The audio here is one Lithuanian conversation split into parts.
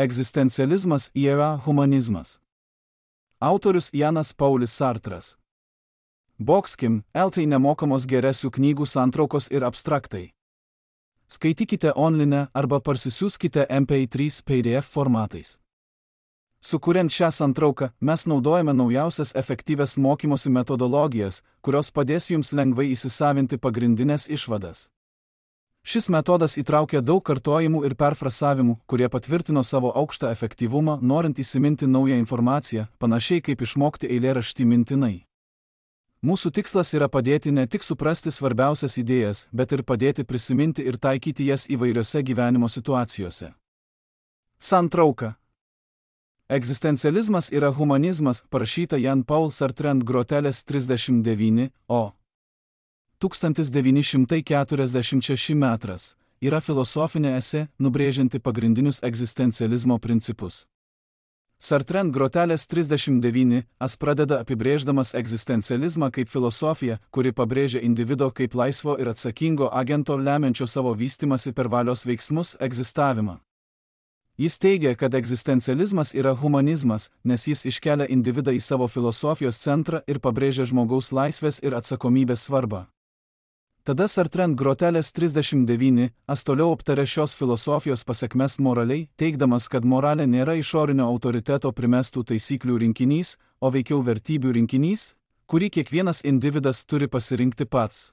Egzistencializmas yra humanizmas. Autorius Janas Paulius Sartras. Bokskim, LT nemokamos geresių knygų santraukos ir abstraktai. Skaitykite online arba parsisiųskite MP3 PDF formatais. Sukuriant šią santrauką, mes naudojame naujausias efektyvias mokymosi metodologijas, kurios padės jums lengvai įsisavinti pagrindinės išvadas. Šis metodas įtraukia daug kartojimų ir perfrasavimų, kurie patvirtino savo aukštą efektyvumą, norint įsiminti naują informaciją, panašiai kaip išmokti eilėraštį mintinai. Mūsų tikslas yra padėti ne tik suprasti svarbiausias idėjas, bet ir padėti prisiminti ir taikyti jas įvairiose gyvenimo situacijose. Santrauka. Egzistencializmas yra humanizmas, parašyta Jan Paul Sartre ant grotelės 39, o 1946 metras, yra filosofinė esė, nubrėžianti pagrindinius egzistencializmo principus. Sartre ant grotelės 39 pradeda apibrėždamas egzistencializmą kaip filosofiją, kuri pabrėžia individo kaip laisvo ir atsakingo agento lemiančio savo vystymasi per valios veiksmus egzistavimą. Jis teigia, kad egzistencializmas yra humanizmas, nes jis iškelia individą į savo filosofijos centrą ir pabrėžia žmogaus laisvės ir atsakomybės svarbą. Tada Sartre ant grotelės 39 toliau aptarė šios filosofijos pasekmes moraliai, teigdamas, kad moralė nėra išorinio autoriteto primestų taisyklių rinkinys, o veikiau vertybių rinkinys, kurį kiekvienas individas turi pasirinkti pats.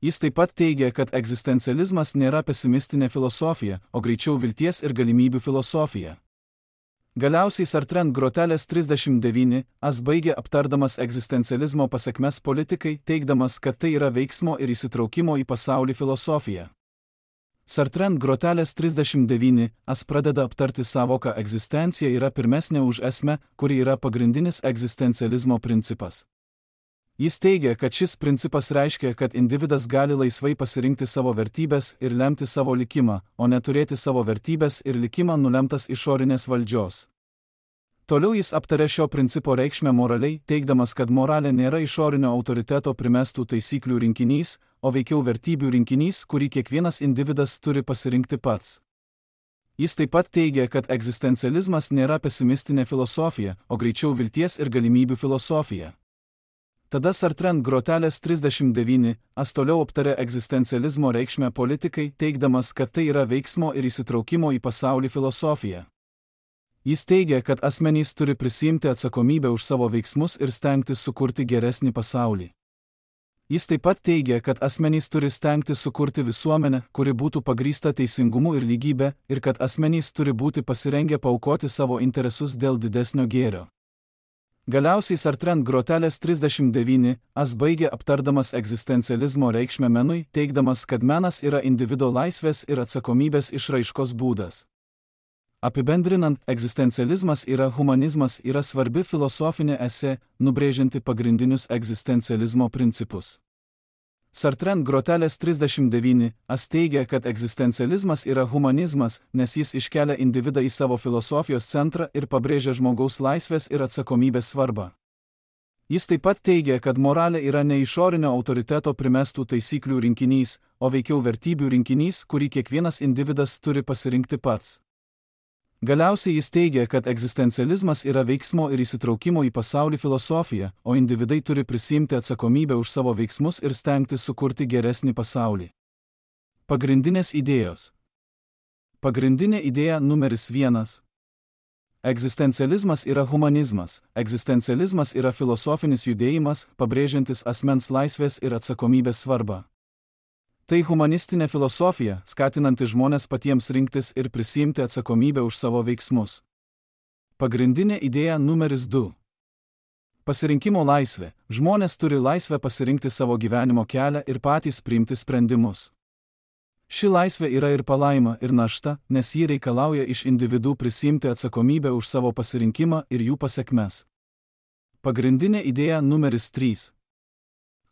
Jis taip pat teigia, kad egzistencializmas nėra pesimistinė filosofija, o greičiau vilties ir galimybių filosofija. Galiausiai Sartre ant grotelės 39 baigė aptardamas egzistencializmo pasekmes politikai, teigdamas, kad tai yra veiksmo ir įsitraukimo į pasaulį filosofija. Sartre ant grotelės 39 pradeda aptarti savoką egzistencija yra pirmesnė už esmę, kuri yra pagrindinis egzistencializmo principas. Jis teigia, kad šis principas reiškia, kad individas gali laisvai pasirinkti savo vertybės ir lemti savo likimą, o neturėti savo vertybės ir likimą nulemtas išorinės valdžios. Toliau jis aptarė šio principo reikšmę moraliai, teigdamas, kad moralė nėra išorinio autoriteto primestų taisyklių rinkinys, o veikiau vertybių rinkinys, kurį kiekvienas individas turi pasirinkti pats. Jis taip pat teigia, kad egzistencializmas nėra pesimistinė filosofija, o greičiau vilties ir galimybių filosofija. Tada Sartre ant grotelės 39 toliau aptarė egzistencializmo reikšmę politikai, teigdamas, kad tai yra veiksmo ir įsitraukimo į pasaulį filosofija. Jis teigia, kad asmenys turi prisiimti atsakomybę už savo veiksmus ir stengtis sukurti geresnį pasaulį. Jis taip pat teigia, kad asmenys turi stengtis sukurti visuomenę, kuri būtų pagrįsta teisingumu ir lygybė, ir kad asmenys turi būti pasirengę paaukoti savo interesus dėl didesnio gėrio. Galiausiai Sartre ant grotelės 39 baigė aptardamas egzistencializmo reikšmę menui, teigdamas, kad menas yra individo laisvės ir atsakomybės išraiškos būdas. Apibendrinant, egzistencializmas yra humanizmas yra svarbi filosofinė esė, nubrėžianti pagrindinius egzistencializmo principus. Sartre ant grotelės 39 teigia, kad egzistencializmas yra humanizmas, nes jis iškelia individą į savo filosofijos centrą ir pabrėžia žmogaus laisvės ir atsakomybės svarbą. Jis taip pat teigia, kad moralė yra ne išorinio autoriteto primestų taisyklių rinkinys, o veikiau vertybių rinkinys, kurį kiekvienas individas turi pasirinkti pats. Galiausiai jis teigia, kad egzistencializmas yra veiksmo ir įsitraukimo į pasaulį filosofija, o individai turi prisiimti atsakomybę už savo veiksmus ir stengtis sukurti geresnį pasaulį. Pagrindinės idėjos. Pagrindinė idėja numeris 1. Egzistencializmas yra humanizmas. Egzistencializmas yra filosofinis judėjimas, pabrėžiantis asmens laisvės ir atsakomybės svarbą. Tai humanistinė filosofija, skatinanti žmones patiems rinktis ir prisiimti atsakomybę už savo veiksmus. Pagrindinė idėja numeris 2. Pasirinkimo laisvė. Žmonės turi laisvę pasirinkti savo gyvenimo kelią ir patys priimti sprendimus. Ši laisvė yra ir palaima, ir našta, nes ji reikalauja iš individų prisiimti atsakomybę už savo pasirinkimą ir jų pasekmes. Pagrindinė idėja numeris 3.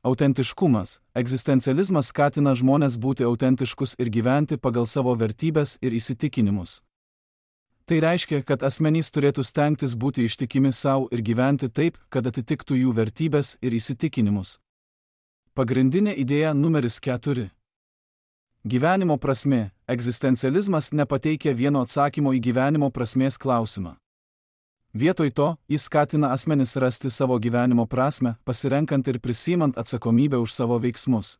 Autentiškumas. Egzistencializmas skatina žmones būti autentiškus ir gyventi pagal savo vertybės ir įsitikinimus. Tai reiškia, kad asmenys turėtų stengtis būti ištikimi savo ir gyventi taip, kad atitiktų jų vertybės ir įsitikinimus. Pagrindinė idėja numeris 4. Gyvenimo prasmė. egzistencializmas nepateikia vieno atsakymo į gyvenimo prasmės klausimą. Vietoj to, jis skatina asmenis rasti savo gyvenimo prasmę, pasirenkant ir prisimant atsakomybę už savo veiksmus.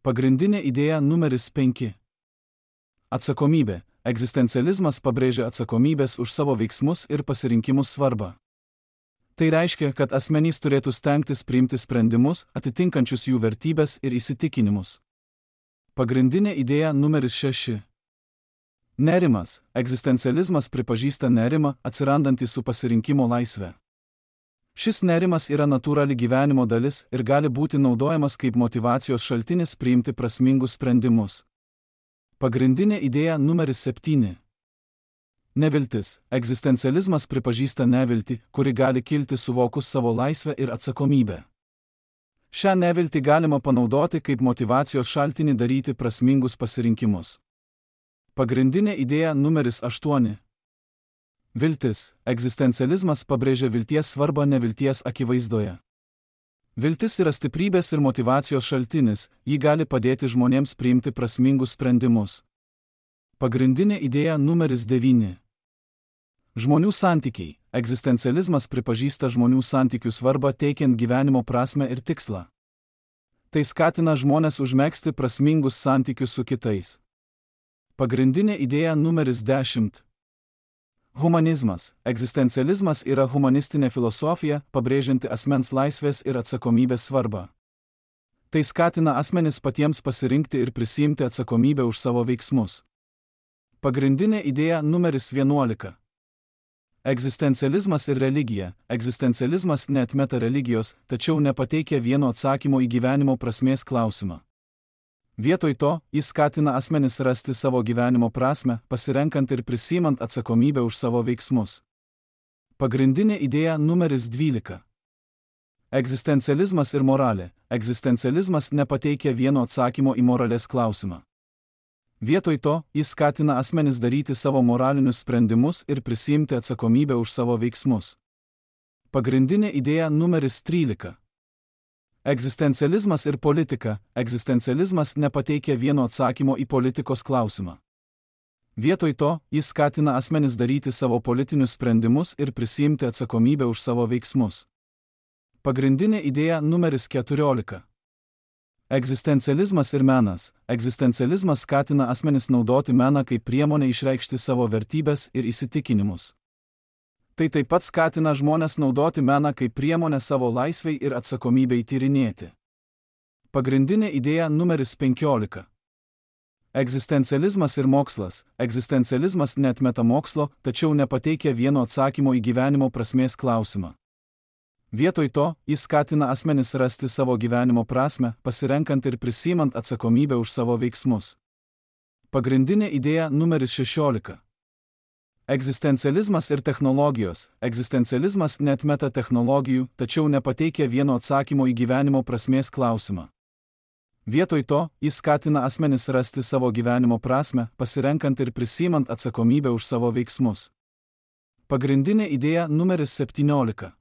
Pagrindinė idėja numeris 5. Atsakomybė. Egzistencializmas pabrėžia atsakomybės už savo veiksmus ir pasirinkimus svarbą. Tai reiškia, kad asmenys turėtų stengtis priimti sprendimus, atitinkančius jų vertybės ir įsitikinimus. Pagrindinė idėja numeris 6. Nerimas. Egzistencializmas pripažįsta nerimą, atsirandantį su pasirinkimo laisve. Šis nerimas yra natūrali gyvenimo dalis ir gali būti naudojamas kaip motyvacijos šaltinis priimti prasmingus sprendimus. Pagrindinė idėja numeris 7. Neviltis. Egzistencializmas pripažįsta neviltį, kuri gali kilti suvokus savo laisvę ir atsakomybę. Šią neviltį galima panaudoti kaip motyvacijos šaltinį daryti prasmingus pasirinkimus. Pagrindinė idėja numeris 8. Viltis. Egzistencializmas pabrėžia vilties svarbą nevilties akivaizdoje. Viltis yra stiprybės ir motyvacijos šaltinis, ji gali padėti žmonėms priimti prasmingus sprendimus. Pagrindinė idėja numeris 9. Žmonių santykiai. Egzistencializmas pripažįsta žmonių santykių svarbą teikiant gyvenimo prasmę ir tikslą. Tai skatina žmones užmegzti prasmingus santykius su kitais. Pagrindinė idėja numeris 10. Humanizmas. Egzistencializmas yra humanistinė filosofija, pabrėžianti asmens laisvės ir atsakomybės svarbą. Tai skatina asmenis patiems pasirinkti ir prisiimti atsakomybę už savo veiksmus. Pagrindinė idėja numeris 11. Egzistencializmas ir religija. Egzistencializmas neatmeta religijos, tačiau nepateikia vieno atsakymo į gyvenimo prasmės klausimą. Vietoj to, jis skatina asmenis rasti savo gyvenimo prasmę, pasirenkant ir prisimant atsakomybę už savo veiksmus. Pagrindinė idėja numeris 12. Egzistencializmas ir moralė. Egzistencializmas nepateikia vieno atsakymo į moralės klausimą. Vietoj to, jis skatina asmenis daryti savo moralinius sprendimus ir prisimti atsakomybę už savo veiksmus. Pagrindinė idėja numeris 13. Egzistencializmas ir politika. Egzistencializmas nepateikia vieno atsakymo į politikos klausimą. Vietoj to, jis skatina asmenis daryti savo politinius sprendimus ir prisimti atsakomybę už savo veiksmus. Pagrindinė idėja numeris 14. Egzistencializmas ir menas. Egzistencializmas skatina asmenis naudoti meną kaip priemonę išreikšti savo vertybės ir įsitikinimus. Tai taip pat skatina žmones naudoti meną kaip priemonę savo laisvei ir atsakomybei tyrinėti. Pagrindinė idėja numeris 15. Egzistencializmas ir mokslas. Egzistencializmas neatmeta mokslo, tačiau nepateikia vieno atsakymo į gyvenimo prasmės klausimą. Vietoj to, jis skatina asmenis rasti savo gyvenimo prasmę, pasirenkant ir prisimant atsakomybę už savo veiksmus. Pagrindinė idėja numeris 16. Egzistencializmas ir technologijos. Egzistencializmas neatmeta technologijų, tačiau nepateikia vieno atsakymo į gyvenimo prasmės klausimą. Vietoj to, jis skatina asmenis rasti savo gyvenimo prasmę, pasirenkant ir prisimant atsakomybę už savo veiksmus. Pagrindinė idėja numeris 17.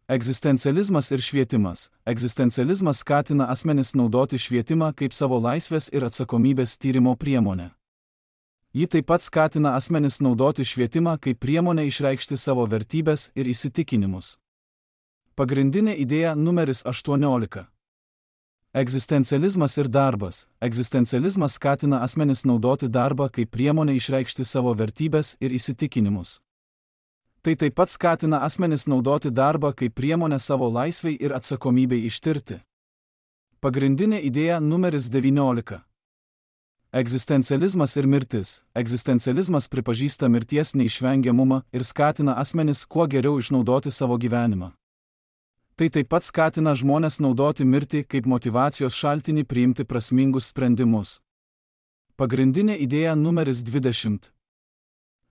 Egzistencializmas ir švietimas. Egzistencializmas skatina asmenis naudoti švietimą kaip savo laisvės ir atsakomybės tyrimo priemonę. Ji taip pat skatina asmenis naudoti švietimą kaip priemonę išreikšti savo vertybės ir įsitikinimus. Pagrindinė idėja numeris 18. Egzistencializmas ir darbas. Egzistencializmas skatina asmenis naudoti darbą kaip priemonę išreikšti savo vertybės ir įsitikinimus. Tai taip pat skatina asmenis naudoti darbą kaip priemonę savo laisvei ir atsakomybei ištirti. Pagrindinė idėja numeris 19. Egzistencializmas ir mirtis. Egzistencializmas pripažįsta mirties neišvengiamumą ir skatina asmenis kuo geriau išnaudoti savo gyvenimą. Tai taip pat skatina žmones naudoti mirtį kaip motyvacijos šaltinį priimti prasmingus sprendimus. Pagrindinė idėja numeris 20.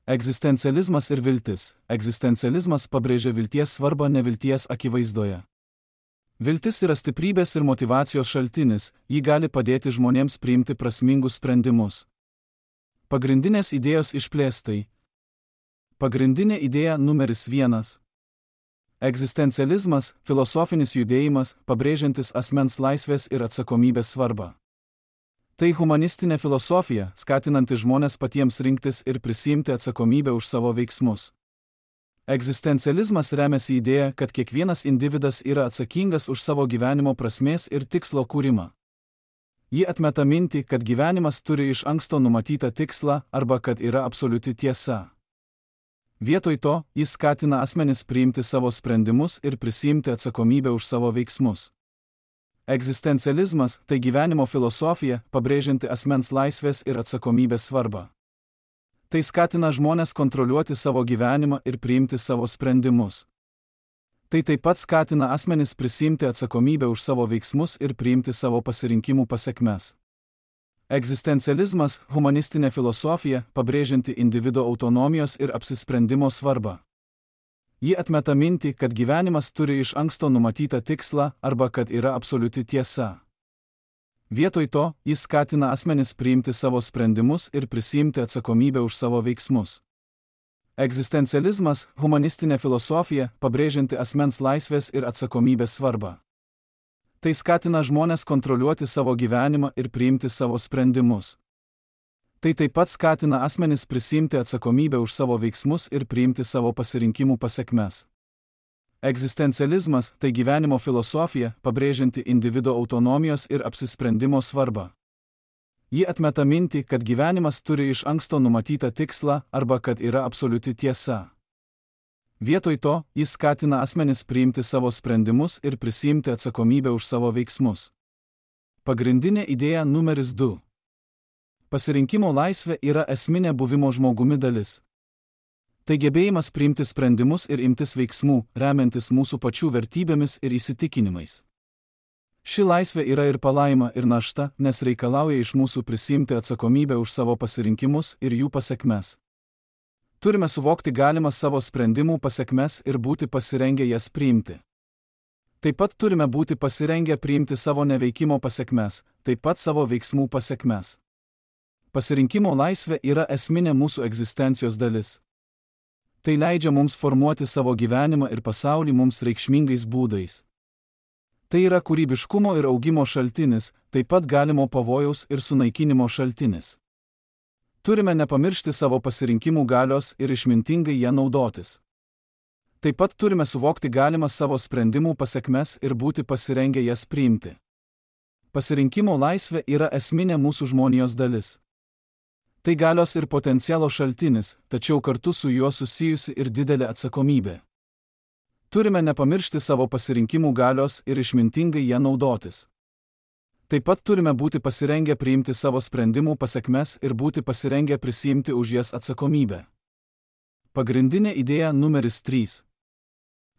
Egzistencializmas ir viltis. Egzistencializmas pabrėžia vilties svarbą nevilties akivaizdoje. Viltis yra stiprybės ir motyvacijos šaltinis, ji gali padėti žmonėms priimti prasmingus sprendimus. Pagrindinės idėjos išplėstai. Pagrindinė idėja numeris 1. Egzistencializmas – filosofinis judėjimas, pabrėžiantis asmens laisvės ir atsakomybės svarbą. Tai humanistinė filosofija, skatinanti žmones patiems rinktis ir prisiimti atsakomybę už savo veiksmus. Egzistencializmas remiasi idėja, kad kiekvienas individas yra atsakingas už savo gyvenimo prasmės ir tikslo kūrimą. Ji atmeta mintį, kad gyvenimas turi iš anksto numatytą tikslą arba kad yra absoliuti tiesa. Vietoj to, jis skatina asmenis priimti savo sprendimus ir prisiimti atsakomybę už savo veiksmus. Egzistencializmas – tai gyvenimo filosofija, pabrėžianti asmens laisvės ir atsakomybės svarbą. Tai skatina žmones kontroliuoti savo gyvenimą ir priimti savo sprendimus. Tai taip pat skatina asmenis prisiimti atsakomybę už savo veiksmus ir priimti savo pasirinkimų pasekmes. Egzistencializmas – humanistinė filosofija, pabrėžianti individo autonomijos ir apsisprendimo svarbą. Ji atmeta mintį, kad gyvenimas turi iš anksto numatytą tikslą arba kad yra absoliuti tiesa. Vietoj to, jis skatina asmenis priimti savo sprendimus ir prisiimti atsakomybę už savo veiksmus. Egzistencializmas – humanistinė filosofija, pabrėžianti asmens laisvės ir atsakomybės svarbą. Tai skatina žmones kontroliuoti savo gyvenimą ir priimti savo sprendimus. Tai taip pat skatina asmenis prisiimti atsakomybę už savo veiksmus ir priimti savo pasirinkimų pasekmes. Egzistencializmas – tai gyvenimo filosofija, pabrėžianti individo autonomijos ir apsisprendimo svarbą. Ji atmeta mintį, kad gyvenimas turi iš anksto numatytą tikslą arba kad yra absoliuti tiesa. Vietoj to, jis skatina asmenis priimti savo sprendimus ir prisiimti atsakomybę už savo veiksmus. Pagrindinė idėja numeris 2. Pasirinkimo laisvė yra esminė buvimo žmogumi dalis. Tai gebėjimas priimti sprendimus ir imtis veiksmų, remiantis mūsų pačių vertybėmis ir įsitikinimais. Ši laisvė yra ir palaima, ir našta, nes reikalauja iš mūsų prisiimti atsakomybę už savo pasirinkimus ir jų pasekmes. Turime suvokti galimas savo sprendimų pasekmes ir būti pasirengę jas priimti. Taip pat turime būti pasirengę priimti savo neveikimo pasekmes, taip pat savo veiksmų pasekmes. Pasirinkimo laisvė yra esminė mūsų egzistencijos dalis. Tai leidžia mums formuoti savo gyvenimą ir pasaulį mums reikšmingais būdais. Tai yra kūrybiškumo ir augimo šaltinis, taip pat galimo pavojaus ir sunaikinimo šaltinis. Turime nepamiršti savo pasirinkimų galios ir išmintingai ją naudotis. Taip pat turime suvokti galimas savo sprendimų pasekmes ir būti pasirengę jas priimti. Pasirinkimo laisvė yra esminė mūsų žmonijos dalis. Tai galios ir potencialo šaltinis, tačiau kartu su juo susijusi ir didelė atsakomybė. Turime nepamiršti savo pasirinkimų galios ir išmintingai ją naudotis. Taip pat turime būti pasirengę priimti savo sprendimų pasekmes ir būti pasirengę prisiimti už jas atsakomybę. Pagrindinė idėja numeris 3.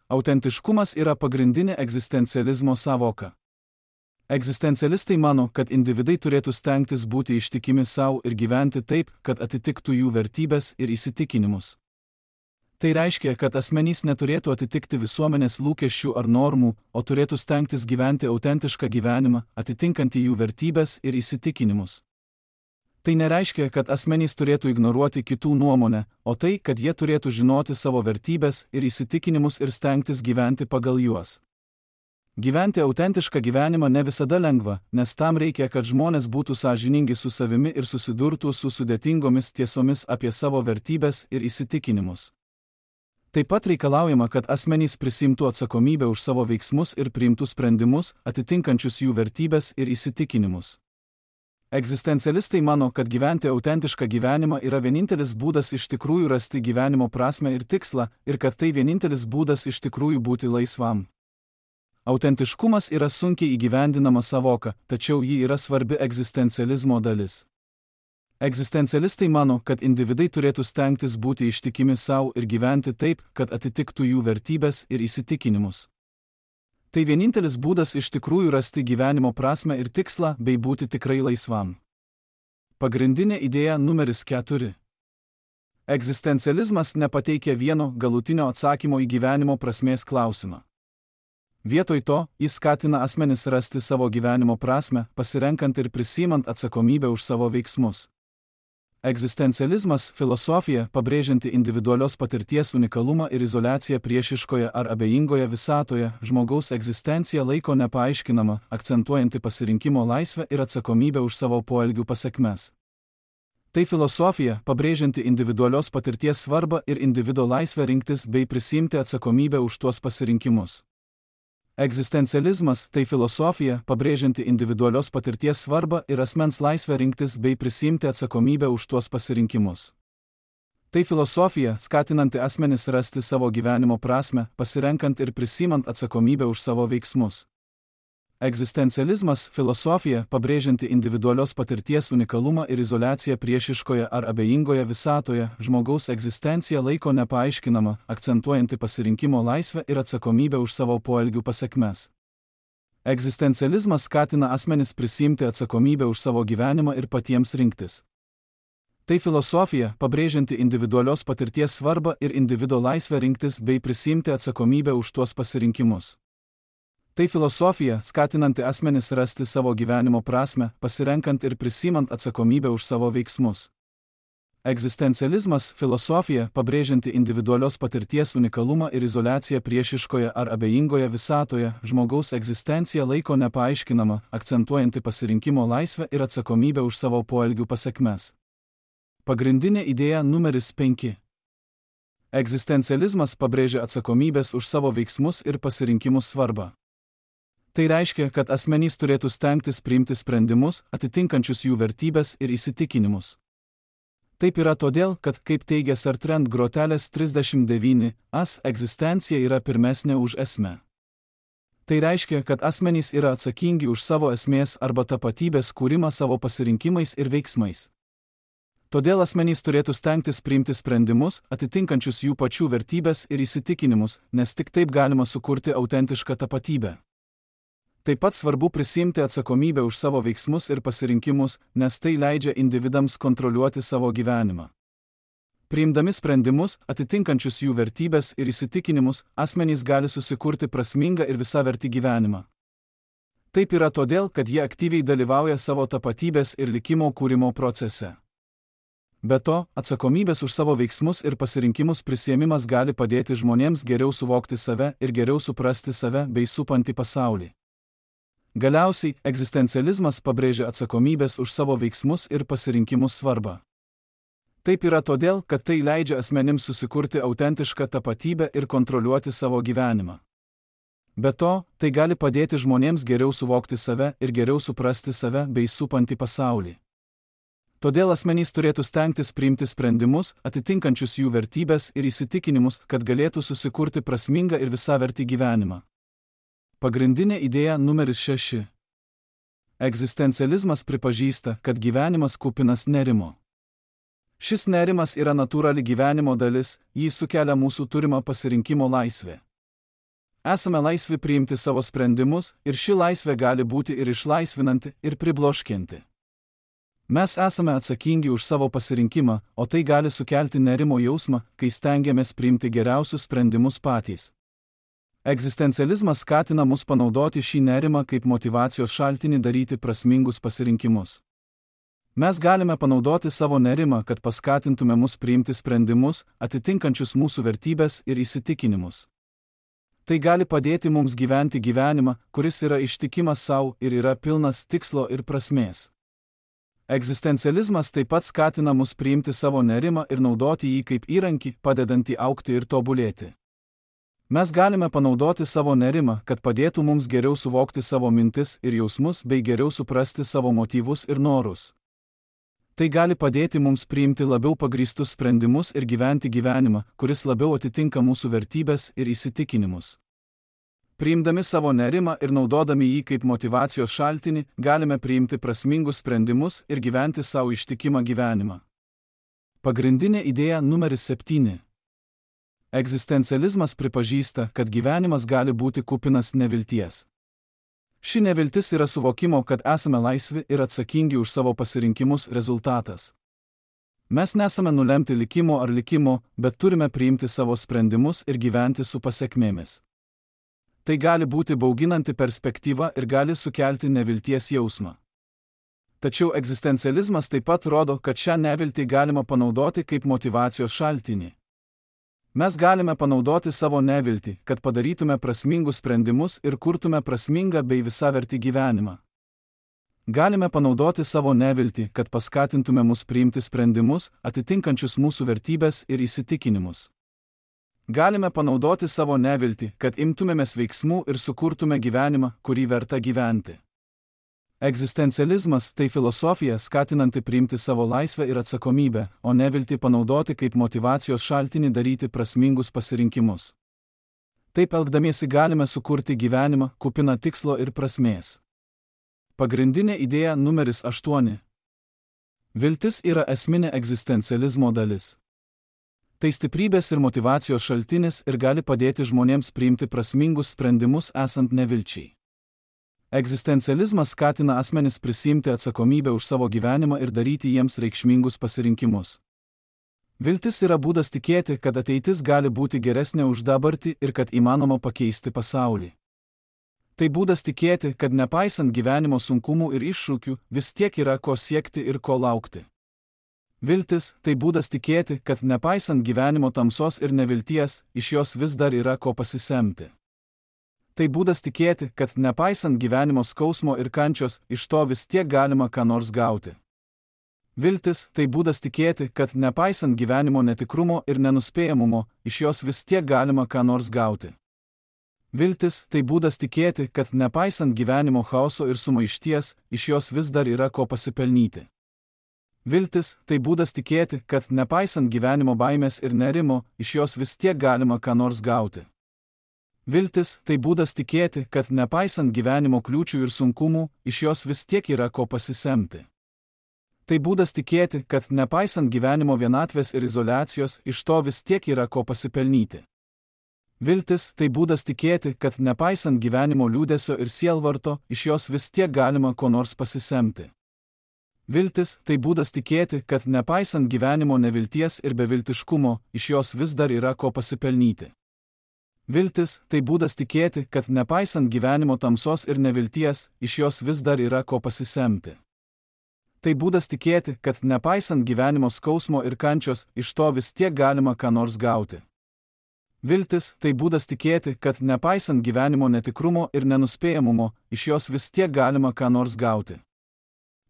Autentiškumas yra pagrindinė egzistencializmo sąvoka. Egzistencialistai mano, kad individai turėtų stengtis būti ištikimi savo ir gyventi taip, kad atitiktų jų vertybės ir įsitikinimus. Tai reiškia, kad asmenys neturėtų atitikti visuomenės lūkesčių ar normų, o turėtų stengtis gyventi autentišką gyvenimą, atitinkantį jų vertybės ir įsitikinimus. Tai nereiškia, kad asmenys turėtų ignoruoti kitų nuomonę, o tai, kad jie turėtų žinoti savo vertybės ir įsitikinimus ir stengtis gyventi pagal juos. Gyventi autentišką gyvenimą ne visada lengva, nes tam reikia, kad žmonės būtų sąžiningi su savimi ir susidurtų su sudėtingomis tiesomis apie savo vertybės ir įsitikinimus. Taip pat reikalaujama, kad asmenys prisimtų atsakomybę už savo veiksmus ir priimtų sprendimus, atitinkančius jų vertybės ir įsitikinimus. Egzistencialistai mano, kad gyventi autentišką gyvenimą yra vienintelis būdas iš tikrųjų rasti gyvenimo prasmę ir tikslą, ir kad tai vienintelis būdas iš tikrųjų būti laisvam. Autentiškumas yra sunkiai įgyvendinama sąvoka, tačiau ji yra svarbi egzistencializmo dalis. Egzistencialistai mano, kad individai turėtų stengtis būti ištikimi savo ir gyventi taip, kad atitiktų jų vertybės ir įsitikinimus. Tai vienintelis būdas iš tikrųjų rasti gyvenimo prasmę ir tikslą bei būti tikrai laisvam. Pagrindinė idėja numeris 4. Egzistencializmas nepateikia vieno galutinio atsakymo į gyvenimo prasmės klausimą. Vietoj to, jis skatina asmenis rasti savo gyvenimo prasmę, pasirenkant ir prisimant atsakomybę už savo veiksmus. Egzistencializmas – filosofija, pabrėžianti individualios patirties unikalumą ir izoliaciją priešiškoje ar abejingoje visatoje, žmogaus egzistenciją laiko nepaaiškinama, akcentuojanti pasirinkimo laisvę ir atsakomybę už savo poelgių pasekmes. Tai filosofija, pabrėžianti individualios patirties svarbą ir individo laisvę rinktis bei prisiimti atsakomybę už tuos pasirinkimus. Egzistencializmas – tai filosofija, pabrėžianti individualios patirties svarbą ir asmens laisvę rinktis bei prisiimti atsakomybę už tuos pasirinkimus. Tai filosofija, skatinanti asmenis rasti savo gyvenimo prasmę, pasirenkant ir prisimant atsakomybę už savo veiksmus. Egzistencializmas – filosofija, pabrėžianti individualios patirties unikalumą ir izoliaciją priešiškoje ar abejingoje visatoje, žmogaus egzistenciją laiko nepaaiškinama, akcentuojanti pasirinkimo laisvę ir atsakomybę už savo poelgių pasekmes. Egzistencializmas skatina asmenis prisiimti atsakomybę už savo gyvenimą ir patiems rinktis. Tai filosofija, pabrėžianti individualios patirties svarbą ir individo laisvę rinktis bei prisiimti atsakomybę už tuos pasirinkimus. Tai filosofija, skatinanti asmenis rasti savo gyvenimo prasmę, pasirenkant ir prisimant atsakomybę už savo veiksmus. Egzistencializmas – filosofija, pabrėžianti individualios patirties unikalumą ir izoliaciją priešiškoje ar abejingoje visatoje, žmogaus egzistenciją laiko nepaaiškinama, akcentuojanti pasirinkimo laisvę ir atsakomybę už savo poelgių pasekmes. Pagrindinė idėja numeris 5. Egzistencializmas pabrėžia atsakomybės už savo veiksmus ir pasirinkimus svarbą. Tai reiškia, kad asmenys turėtų stengtis priimti sprendimus, atitinkančius jų vertybės ir įsitikinimus. Taip yra todėl, kad, kaip teigia Sartrand grotelės 39, egzistencija yra pirmesnė už esmę. Tai reiškia, kad asmenys yra atsakingi už savo esmės arba tapatybės kūrimą savo pasirinkimais ir veiksmais. Todėl asmenys turėtų stengtis priimti sprendimus, atitinkančius jų pačių vertybės ir įsitikinimus, nes tik taip galima sukurti autentišką tapatybę. Taip pat svarbu prisiimti atsakomybę už savo veiksmus ir pasirinkimus, nes tai leidžia individams kontroliuoti savo gyvenimą. Priimdami sprendimus, atitinkančius jų vertybės ir įsitikinimus, asmenys gali susikurti prasmingą ir visavertį gyvenimą. Taip yra todėl, kad jie aktyviai dalyvauja savo tapatybės ir likimo kūrimo procese. Be to, atsakomybės už savo veiksmus ir pasirinkimus prisiėmimas gali padėti žmonėms geriau suvokti save ir geriau suprasti save bei supantį pasaulį. Galiausiai, egzistencializmas pabrėžia atsakomybės už savo veiksmus ir pasirinkimus svarbą. Taip yra todėl, kad tai leidžia asmenims susikurti autentišką tapatybę ir kontroliuoti savo gyvenimą. Be to, tai gali padėti žmonėms geriau suvokti save ir geriau suprasti save bei supantį pasaulį. Todėl asmenys turėtų stengtis priimti sprendimus, atitinkančius jų vertybės ir įsitikinimus, kad galėtų susikurti prasmingą ir visavertį gyvenimą. Pagrindinė idėja numeris 6. Egzistencializmas pripažįsta, kad gyvenimas kupinas nerimo. Šis nerimas yra natūrali gyvenimo dalis, jį sukelia mūsų turima pasirinkimo laisvė. Esame laisvi priimti savo sprendimus ir ši laisvė gali būti ir išlaisvinanti, ir pribloškianti. Mes esame atsakingi už savo pasirinkimą, o tai gali sukelti nerimo jausmą, kai stengiamės priimti geriausius sprendimus patys. Egzistencializmas skatina mus panaudoti šį nerimą kaip motyvacijos šaltinį daryti prasmingus pasirinkimus. Mes galime panaudoti savo nerimą, kad paskatintume mus priimti sprendimus, atitinkančius mūsų vertybės ir įsitikinimus. Tai gali padėti mums gyventi gyvenimą, kuris yra ištikimas savo ir yra pilnas tikslo ir prasmės. Egzistencializmas taip pat skatina mus priimti savo nerimą ir naudoti jį kaip įrankį, padedantį augti ir tobulėti. Mes galime panaudoti savo nerimą, kad padėtų mums geriau suvokti savo mintis ir jausmus bei geriau suprasti savo motyvus ir norus. Tai gali padėti mums priimti labiau pagrįstus sprendimus ir gyventi gyvenimą, kuris labiau atitinka mūsų vertybės ir įsitikinimus. Priimdami savo nerimą ir naudodami jį kaip motyvacijos šaltinį, galime priimti prasmingus sprendimus ir gyventi savo ištikimą gyvenimą. Pagrindinė idėja numeris 7. Egzistencializmas pripažįsta, kad gyvenimas gali būti kupinas nevilties. Ši neviltis yra suvokimo, kad esame laisvi ir atsakingi už savo pasirinkimus rezultatas. Mes nesame nulemti likimo ar likimo, bet turime priimti savo sprendimus ir gyventi su pasekmėmis. Tai gali būti bauginanti perspektyva ir gali sukelti nevilties jausmą. Tačiau egzistencializmas taip pat rodo, kad šią neviltį galima panaudoti kaip motyvacijos šaltinį. Mes galime panaudoti savo neviltį, kad padarytume prasmingus sprendimus ir kurtume prasmingą bei visavertį gyvenimą. Galime panaudoti savo neviltį, kad paskatintume mus priimti sprendimus, atitinkančius mūsų vertybes ir įsitikinimus. Galime panaudoti savo neviltį, kad imtumėmės veiksmų ir sukurtume gyvenimą, kurį verta gyventi. Egzistencializmas tai filosofija skatinanti priimti savo laisvę ir atsakomybę, o neviltį panaudoti kaip motyvacijos šaltinį daryti prasmingus pasirinkimus. Taip elgdamiesi galime sukurti gyvenimą, kupiną tikslo ir prasmės. Pagrindinė idėja numeris 8. Viltis yra esminė egzistencializmo dalis. Tai stiprybės ir motyvacijos šaltinis ir gali padėti žmonėms priimti prasmingus sprendimus esant nevilčiai. Egzistencializmas skatina asmenis prisiimti atsakomybę už savo gyvenimą ir daryti jiems reikšmingus pasirinkimus. Viltis yra būdas tikėti, kad ateitis gali būti geresnė už dabartį ir kad įmanoma pakeisti pasaulį. Tai būdas tikėti, kad nepaisant gyvenimo sunkumų ir iššūkių, vis tiek yra ko siekti ir ko laukti. Viltis tai būdas tikėti, kad nepaisant gyvenimo tamsos ir nevilties, iš jos vis dar yra ko pasisemti. Tai būdas tikėti, kad nepaisant gyvenimo skausmo ir kančios, iš to vis tiek galima ką nors gauti. Viltis tai būdas tikėti, kad nepaisant gyvenimo netikrumo ir nenuspėjamumo, iš jos vis tiek galima ką nors gauti. Viltis tai būdas tikėti, kad nepaisant gyvenimo chaoso ir sumaišties, iš jos vis dar yra ko pasipelnyti. Viltis tai būdas tikėti, kad nepaisant gyvenimo baimės ir nerimo, iš jos vis tiek galima ką nors gauti. Viltis tai būdas tikėti, kad nepaisant gyvenimo kliūčių ir sunkumų, iš jos vis tiek yra ko pasisemti. Tai būdas tikėti, kad nepaisant gyvenimo vienatvės ir izoliacijos, iš to vis tiek yra ko pasipelnyti. Viltis tai būdas tikėti, kad nepaisant gyvenimo liūdesio ir sielvarto, iš jos vis tiek galima ko nors pasisemti. Viltis tai būdas tikėti, kad nepaisant gyvenimo nevilties ir beviltiškumo, iš jos vis dar yra ko pasipelnyti. Viltis tai būdas tikėti, kad nepaisant gyvenimo tamsos ir nevilties, iš jos vis dar yra ko pasisemti. Tai būdas tikėti, kad nepaisant gyvenimo skausmo ir kančios, iš to vis tiek galima ką nors gauti. Viltis tai būdas tikėti, kad nepaisant gyvenimo netikrumo ir nenuspėjamumo, iš jos vis tiek galima ką nors gauti.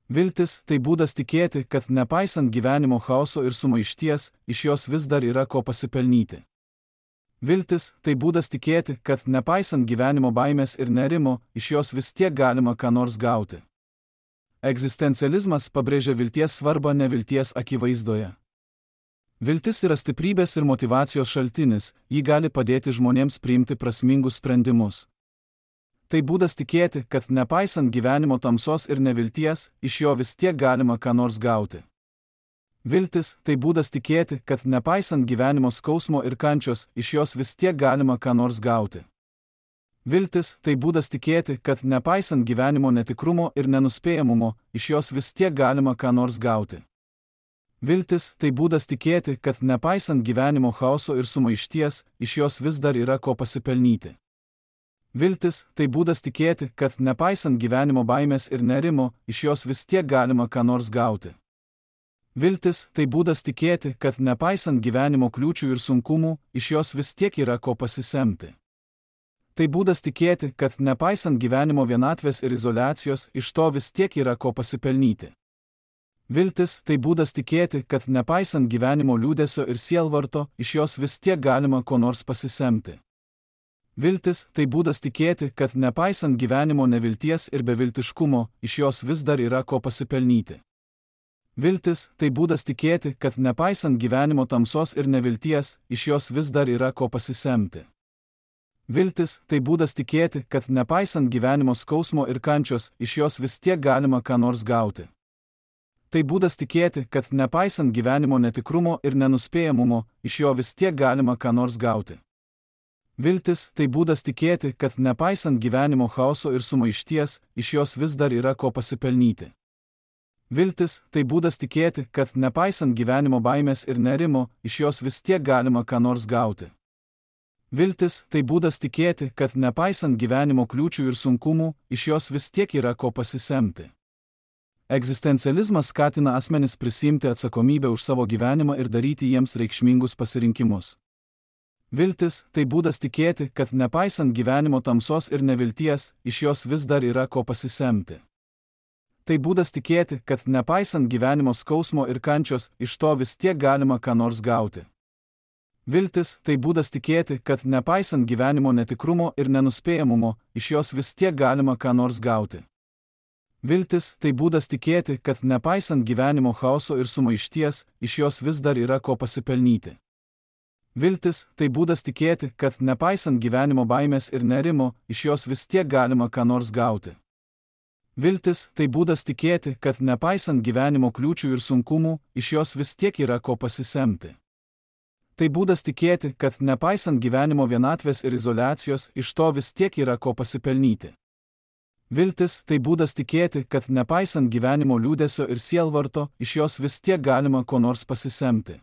Viltis tai būdas tikėti, kad nepaisant gyvenimo chaoso ir sumaišties, iš jos vis dar yra ko pasipelnyti. Viltis tai būdas tikėti, kad nepaisant gyvenimo baimės ir nerimo, iš jos vis tiek galima ką nors gauti. Egzistencializmas pabrėžia vilties svarbą nevilties akivaizdoje. Viltis yra stiprybės ir motyvacijos šaltinis, ji gali padėti žmonėms priimti prasmingus sprendimus. Tai būdas tikėti, kad nepaisant gyvenimo tamsos ir nevilties, iš jo vis tiek galima ką nors gauti. Viltis tai būdas tikėti, kad nepaisant gyvenimo skausmo ir kančios, iš jos vis tiek galima ką nors gauti. Viltis tai būdas tikėti, kad nepaisant gyvenimo netikrumo ir nenuspėjamumo, iš jos vis tiek galima ką nors gauti. Viltis tai būdas tikėti, kad nepaisant gyvenimo chaoso ir sumaišties, iš jos vis dar yra ko pasipelnyti. Viltis tai būdas tikėti, kad nepaisant gyvenimo baimės ir nerimo, iš jos vis tiek galima ką nors gauti. Viltis tai būdas tikėti, kad nepaisant gyvenimo kliūčių ir sunkumų, iš jos vis tiek yra ko pasisemti. Tai būdas tikėti, kad nepaisant gyvenimo vienatvės ir izoliacijos, iš to vis tiek yra ko pasipelnyti. Viltis tai būdas tikėti, kad nepaisant gyvenimo liūdesio ir sielvarto, iš jos vis tiek galima ko nors pasisemti. Viltis tai būdas tikėti, kad nepaisant gyvenimo nevilties ir beviltiškumo, iš jos vis dar yra ko pasipelnyti. Viltis tai būdas tikėti, kad nepaisant gyvenimo tamsos ir nevilties, iš jos vis dar yra ko pasisemti. Viltis tai būdas tikėti, kad nepaisant gyvenimo skausmo ir kančios, iš jos vis tiek galima ką nors gauti. Tai būdas tikėti, kad nepaisant gyvenimo netikrumo ir nenuspėjamumo, iš jo vis tiek galima ką nors gauti. Viltis tai būdas tikėti, kad nepaisant gyvenimo chaoso ir sumaišties, iš jos vis dar yra ko pasipelnyti. Viltis tai būdas tikėti, kad nepaisant gyvenimo baimės ir nerimo, iš jos vis tiek galima ką nors gauti. Viltis tai būdas tikėti, kad nepaisant gyvenimo kliūčių ir sunkumų, iš jos vis tiek yra ko pasisemti. Egzistencializmas skatina asmenis prisiimti atsakomybę už savo gyvenimą ir daryti jiems reikšmingus pasirinkimus. Viltis – tai būdas tikėti, kad nepaisant gyvenimo tamsos ir nevilties, iš jos vis dar yra ko pasisemti. Tai būdas tikėti, kad nepaisant gyvenimo skausmo ir kančios, iš to vis tiek galima ką nors gauti. Viltis – tai būdas tikėti, kad nepaisant gyvenimo netikrumo ir nenuspėjamumo, iš jos vis tiek galima ką nors gauti. Viltis – tai būdas tikėti, kad nepaisant gyvenimo chaoso ir sumaišties, iš jos vis dar yra ko pasipelnyti. Viltis – tai būdas tikėti, kad nepaisant gyvenimo baimės ir nerimo, iš jos vis tiek galima ką nors gauti. Viltis – tai būdas tikėti, kad nepaisant gyvenimo kliūčių ir sunkumų, iš jos vis tiek yra ko pasisemti. Tai būdas tikėti, kad nepaisant gyvenimo vienatvės ir izoliacijos, iš to vis tiek yra ko pasipelnyti. Viltis – tai būdas tikėti, kad nepaisant gyvenimo liūdesio ir sielvarto, iš jos vis tiek galima ko nors pasisemti.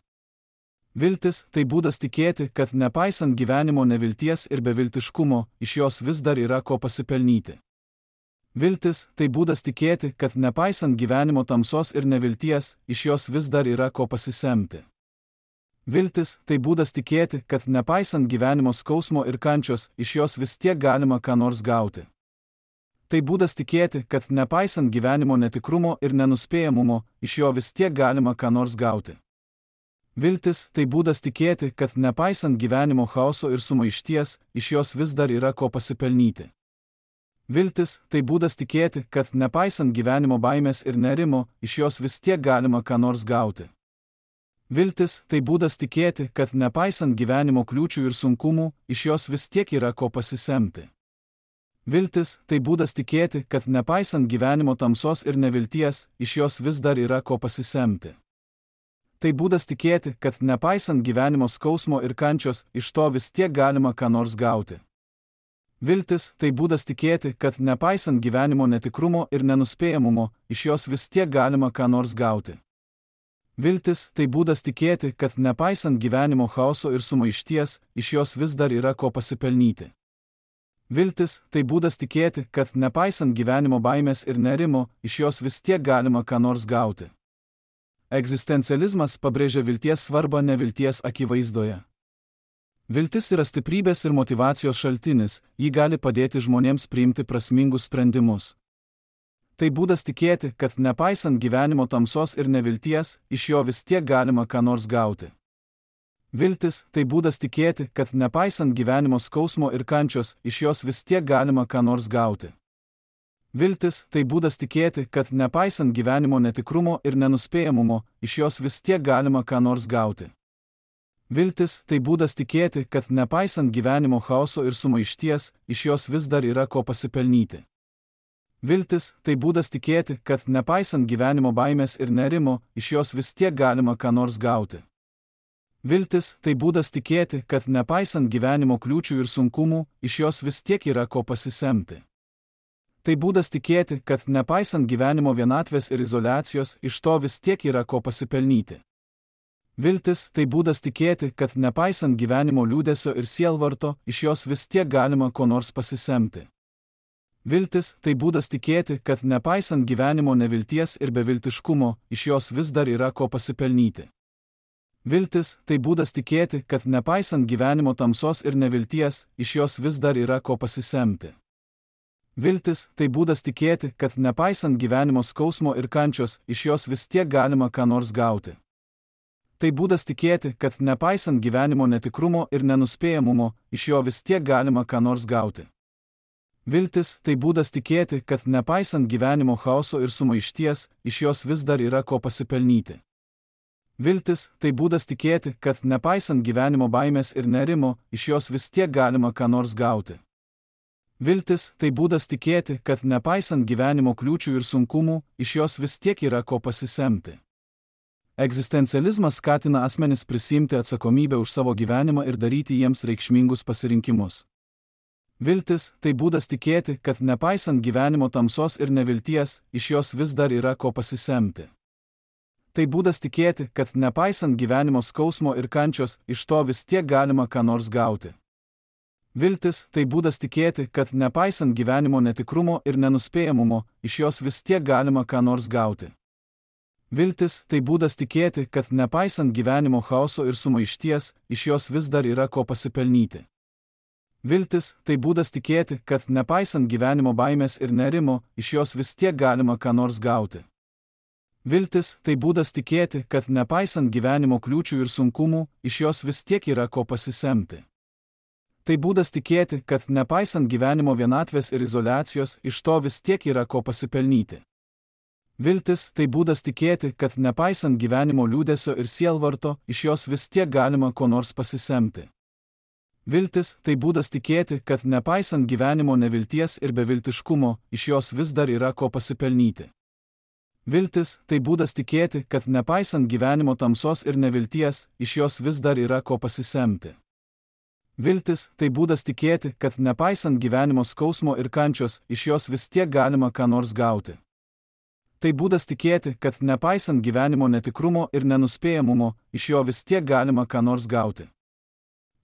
Viltis – tai būdas tikėti, kad nepaisant gyvenimo nevilties ir beviltiškumo, iš jos vis dar yra ko pasipelnyti. Viltis – tai būdas tikėti, kad nepaisant gyvenimo tamsos ir nevilties, iš jos vis dar yra ko pasisemti. Viltis – tai būdas tikėti, kad nepaisant gyvenimo skausmo ir kančios, iš jos vis tiek galima ką nors gauti. Tai būdas tikėti, kad nepaisant gyvenimo netikrumo ir nenuspėjamumo, iš jo vis tiek galima ką nors gauti. Viltis – tai būdas tikėti, kad nepaisant gyvenimo chaoso ir sumaišties, iš jos vis dar yra ko pasipelnyti. Viltis – tai būdas tikėti, kad nepaisant gyvenimo baimės ir nerimo, iš jos vis tiek galima ką nors gauti. Viltis – tai būdas tikėti, kad nepaisant gyvenimo kliūčių ir sunkumų, iš jos vis tiek yra ko pasisemti. Viltis – tai būdas tikėti, kad nepaisant gyvenimo tamsos ir nevilties, iš jos vis dar yra ko pasisemti. Tai būdas tikėti, kad nepaisant gyvenimo skausmo ir kančios, iš to vis tiek galima ką nors gauti. Viltis – tai būdas tikėti, kad nepaisant gyvenimo netikrumo ir nenuspėjamumo, iš jos vis tiek galima ką nors gauti. Viltis – tai būdas tikėti, kad nepaisant gyvenimo chaoso ir sumaišties, iš jos vis dar yra ko pasipelnyti. Viltis – tai būdas tikėti, kad nepaisant gyvenimo baimės ir nerimo, iš jos vis tiek galima ką nors gauti. Egzistencializmas pabrėžia vilties svarbą nevilties akivaizdoje. Viltis yra stiprybės ir motyvacijos šaltinis, ji gali padėti žmonėms priimti prasmingus sprendimus. Tai būdas tikėti, kad nepaisant gyvenimo tamsos ir nevilties, iš jo vis tiek galima ką nors gauti. Viltis – tai būdas tikėti, kad nepaisant gyvenimo skausmo ir kančios, iš jos vis tiek galima ką nors gauti. Viltis – tai būdas tikėti, kad nepaisant gyvenimo netikrumo ir nenuspėjamumo, iš jos vis tiek galima ką nors gauti. Viltis – tai būdas tikėti, kad nepaisant gyvenimo chaoso ir sumaišties, iš jos vis dar yra ko pasipelnyti. Viltis – tai būdas tikėti, kad nepaisant gyvenimo baimės ir nerimo, iš jos vis tiek galima ką nors gauti. Viltis – tai būdas tikėti, kad nepaisant gyvenimo kliūčių ir sunkumų, iš jos vis tiek yra ko pasisemti. Tai būdas tikėti, kad nepaisant gyvenimo vienatvės ir izoliacijos, iš to vis tiek yra ko pasipelnyti. Viltis – tai būdas tikėti, kad nepaisant gyvenimo liūdesio ir sielvarto, iš jos vis tiek galima ko nors pasisemti. Viltis – tai būdas tikėti, kad nepaisant gyvenimo nevilties ir beviltiškumo, iš jos vis dar yra ko pasipelnyti. Viltis – tai būdas tikėti, kad nepaisant gyvenimo tamsos ir nevilties, iš jos vis dar yra ko pasisemti. Viltis – tai būdas tikėti, kad nepaisant gyvenimo skausmo ir kančios, iš jos vis tiek galima ką nors gauti. Tai būdas tikėti, kad nepaisant gyvenimo netikrumo ir nenuspėjamumo, iš jo vis tiek galima ką nors gauti. Viltis – tai būdas tikėti, kad nepaisant gyvenimo chaoso ir sumaišties, iš jos vis dar yra ko pasipelnyti. Viltis – tai būdas tikėti, kad nepaisant gyvenimo baimės ir nerimo, iš jos vis tiek galima ką nors gauti. Viltis – tai būdas tikėti, kad nepaisant gyvenimo kliūčių ir sunkumų, iš jos vis tiek yra ko pasisemti. Egzistencializmas skatina asmenis prisiimti atsakomybę už savo gyvenimą ir daryti jiems reikšmingus pasirinkimus. Viltis – tai būdas tikėti, kad nepaisant gyvenimo tamsos ir nevilties, iš jos vis dar yra ko pasisemti. Tai būdas tikėti, kad nepaisant gyvenimo skausmo ir kančios, iš to vis tiek galima ką nors gauti. Viltis – tai būdas tikėti, kad nepaisant gyvenimo netikrumo ir nenuspėjamumo, iš jos vis tiek galima ką nors gauti. Viltis – tai būdas tikėti, kad nepaisant gyvenimo chaoso ir sumaišties, iš jos vis dar yra ko pasipelnyti. Viltis – tai būdas tikėti, kad nepaisant gyvenimo baimės ir nerimo, iš jos vis tiek galima ką nors gauti. Viltis – tai būdas tikėti, kad nepaisant gyvenimo kliūčių ir sunkumų, iš jos vis tiek yra ko pasisemti. Tai būdas tikėti, kad nepaisant gyvenimo vienatvės ir izoliacijos, iš to vis tiek yra ko pasipelnyti. Viltis – tai būdas tikėti, kad nepaisant gyvenimo liūdesio ir sielvarto, iš jos vis tiek galima ko nors pasisemti. Viltis – tai būdas tikėti, kad nepaisant gyvenimo nevilties ir beviltiškumo, iš jos vis dar yra ko pasipelnyti. Viltis – tai būdas tikėti, kad nepaisant gyvenimo tamsos ir nevilties, iš jos vis dar yra ko pasisemti. Viltis – tai būdas tikėti, kad nepaisant gyvenimo skausmo ir kančios, iš jos vis tiek galima ką nors gauti. Tai būdas tikėti, kad nepaisant gyvenimo netikrumo ir nenuspėjamumo, iš jo vis tiek galima ką nors gauti.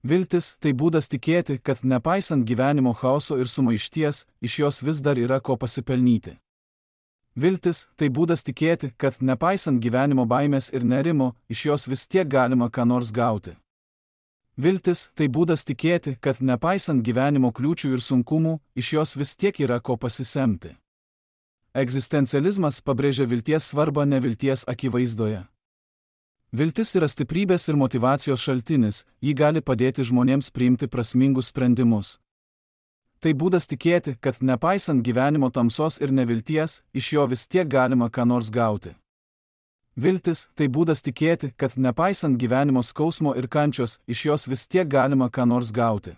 Viltis – tai būdas tikėti, kad nepaisant gyvenimo chaoso ir sumaišties, iš jos vis dar yra ko pasipelnyti. Viltis – tai būdas tikėti, kad nepaisant gyvenimo baimės ir nerimo, iš jos vis tiek galima ką nors gauti. Viltis – tai būdas tikėti, kad nepaisant gyvenimo kliūčių ir sunkumų, iš jos vis tiek yra ko pasisemti. Egzistencializmas pabrėžia vilties svarbą nevilties akivaizdoje. Viltis yra stiprybės ir motyvacijos šaltinis, ji gali padėti žmonėms priimti prasmingus sprendimus. Tai būdas tikėti, kad nepaisant gyvenimo tamsos ir nevilties, iš jo vis tiek galima ką nors gauti. Viltis – tai būdas tikėti, kad nepaisant gyvenimo skausmo ir kančios, iš jos vis tiek galima ką nors gauti.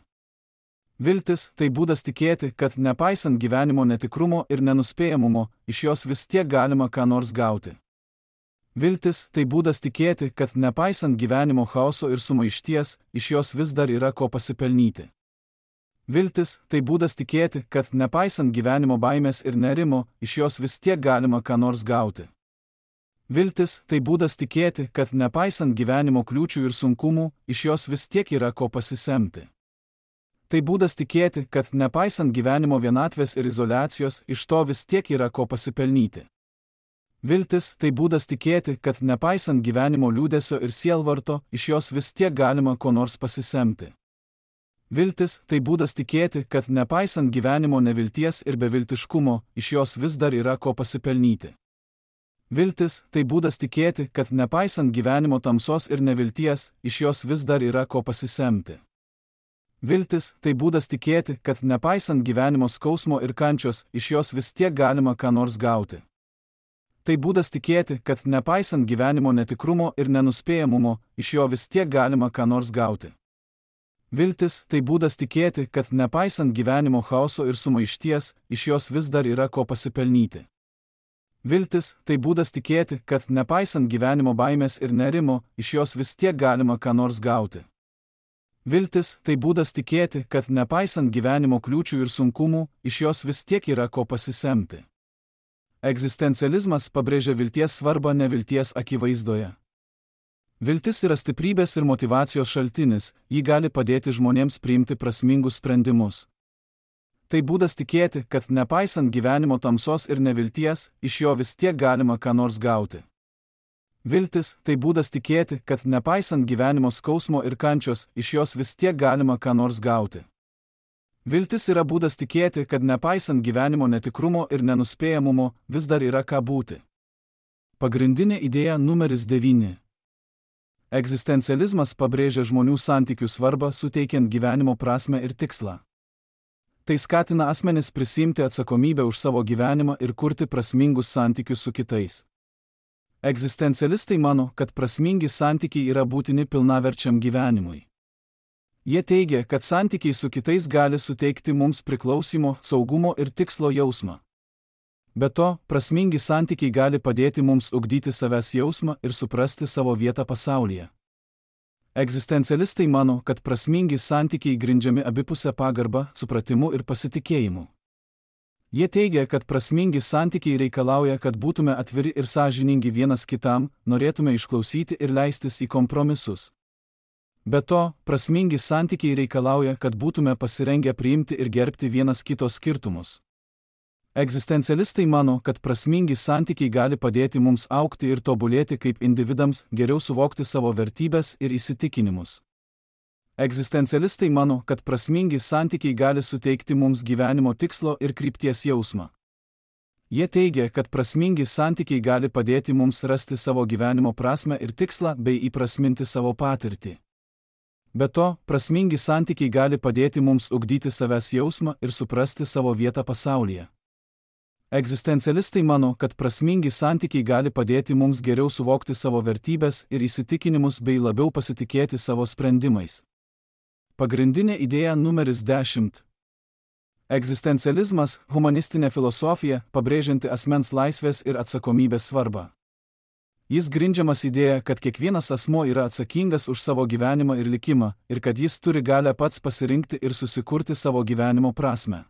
Viltis – tai būdas tikėti, kad nepaisant gyvenimo netikrumo ir nenuspėjamumo, iš jos vis tiek galima ką nors gauti. Viltis – tai būdas tikėti, kad nepaisant gyvenimo chaoso ir sumaišties, iš jos vis dar yra ko pasipelnyti. Viltis – tai būdas tikėti, kad nepaisant gyvenimo baimės ir nerimo, iš jos vis tiek galima ką nors gauti. Viltis – tai būdas tikėti, kad nepaisant gyvenimo kliūčių ir sunkumų, iš jos vis tiek yra ko pasisemti. Tai būdas tikėti, kad nepaisant gyvenimo vienatvės ir izoliacijos, iš to vis tiek yra ko pasipelnyti. Viltis – tai būdas tikėti, kad nepaisant gyvenimo liūdesio ir sielvarto, iš jos vis tiek galima ko nors pasisemti. Viltis – tai būdas tikėti, kad nepaisant gyvenimo nevilties ir beviltiškumo, iš jos vis dar yra ko pasipelnyti. Viltis – tai būdas tikėti, kad nepaisant gyvenimo tamsos ir nevilties, iš jos vis dar yra ko pasisemti. Viltis – tai būdas tikėti, kad nepaisant gyvenimo skausmo ir kančios, iš jos vis tiek galima ką nors gauti. Tai būdas tikėti, kad nepaisant gyvenimo netikrumo ir nenuspėjamumo, iš jo vis tiek galima ką nors gauti. Viltis – tai būdas tikėti, kad nepaisant gyvenimo chaoso ir sumaišties, iš jos vis dar yra ko pasipelnyti. Viltis – tai būdas tikėti, kad nepaisant gyvenimo baimės ir nerimo, iš jos vis tiek galima ką nors gauti. Viltis – tai būdas tikėti, kad nepaisant gyvenimo kliūčių ir sunkumų, iš jos vis tiek yra ko pasisemti. Egzistencializmas pabrėžia vilties svarbą nevilties akivaizdoje. Viltis yra stiprybės ir motyvacijos šaltinis, ji gali padėti žmonėms priimti prasmingus sprendimus. Tai būdas tikėti, kad nepaisant gyvenimo tamsos ir nevilties, iš jo vis tiek galima ką nors gauti. Viltis – tai būdas tikėti, kad nepaisant gyvenimo skausmo ir kančios, iš jos vis tiek galima ką nors gauti. Viltis yra būdas tikėti, kad nepaisant gyvenimo netikrumo ir nenuspėjamumo, vis dar yra ką būti. Pagrindinė idėja numeris 9. Egzistencializmas pabrėžia žmonių santykių svarbą, suteikiant gyvenimo prasmę ir tikslą. Tai skatina asmenis prisimti atsakomybę už savo gyvenimą ir kurti prasmingus santykius su kitais. Egzistencialistai mano, kad prasmingi santykiai yra būtini pilnaverčiam gyvenimui. Jie teigia, kad santykiai su kitais gali suteikti mums priklausimo, saugumo ir tikslo jausmą. Be to, prasmingi santykiai gali padėti mums ugdyti savęs jausmą ir suprasti savo vietą pasaulyje. Egzistencialistai mano, kad prasmingi santykiai grindžiami abipusę pagarbą, supratimu ir pasitikėjimu. Jie teigia, kad prasmingi santykiai reikalauja, kad būtume atviri ir sąžiningi vienas kitam, norėtume išklausyti ir leistis į kompromisus. Be to, prasmingi santykiai reikalauja, kad būtume pasirengę priimti ir gerbti vienas kito skirtumus. Egzistencialistai mano, kad prasmingi santykiai gali padėti mums augti ir tobulėti kaip individams, geriau suvokti savo vertybės ir įsitikinimus. Egzistencialistai mano, kad prasmingi santykiai gali suteikti mums gyvenimo tikslo ir krypties jausmą. Jie teigia, kad prasmingi santykiai gali padėti mums rasti savo gyvenimo prasmę ir tikslą bei įprasminti savo patirtį. Be to, prasmingi santykiai gali padėti mums ugdyti savęs jausmą ir suprasti savo vietą pasaulyje. Egzistencialistai mano, kad prasmingi santykiai gali padėti mums geriau suvokti savo vertybės ir įsitikinimus bei labiau pasitikėti savo sprendimais. Pagrindinė idėja numeris 10. Egzistencializmas – humanistinė filosofija, pabrėžianti asmens laisvės ir atsakomybės svarbą. Jis grindžiamas idėja, kad kiekvienas asmuo yra atsakingas už savo gyvenimą ir likimą, ir kad jis turi galę pats pasirinkti ir susikurti savo gyvenimo prasmę.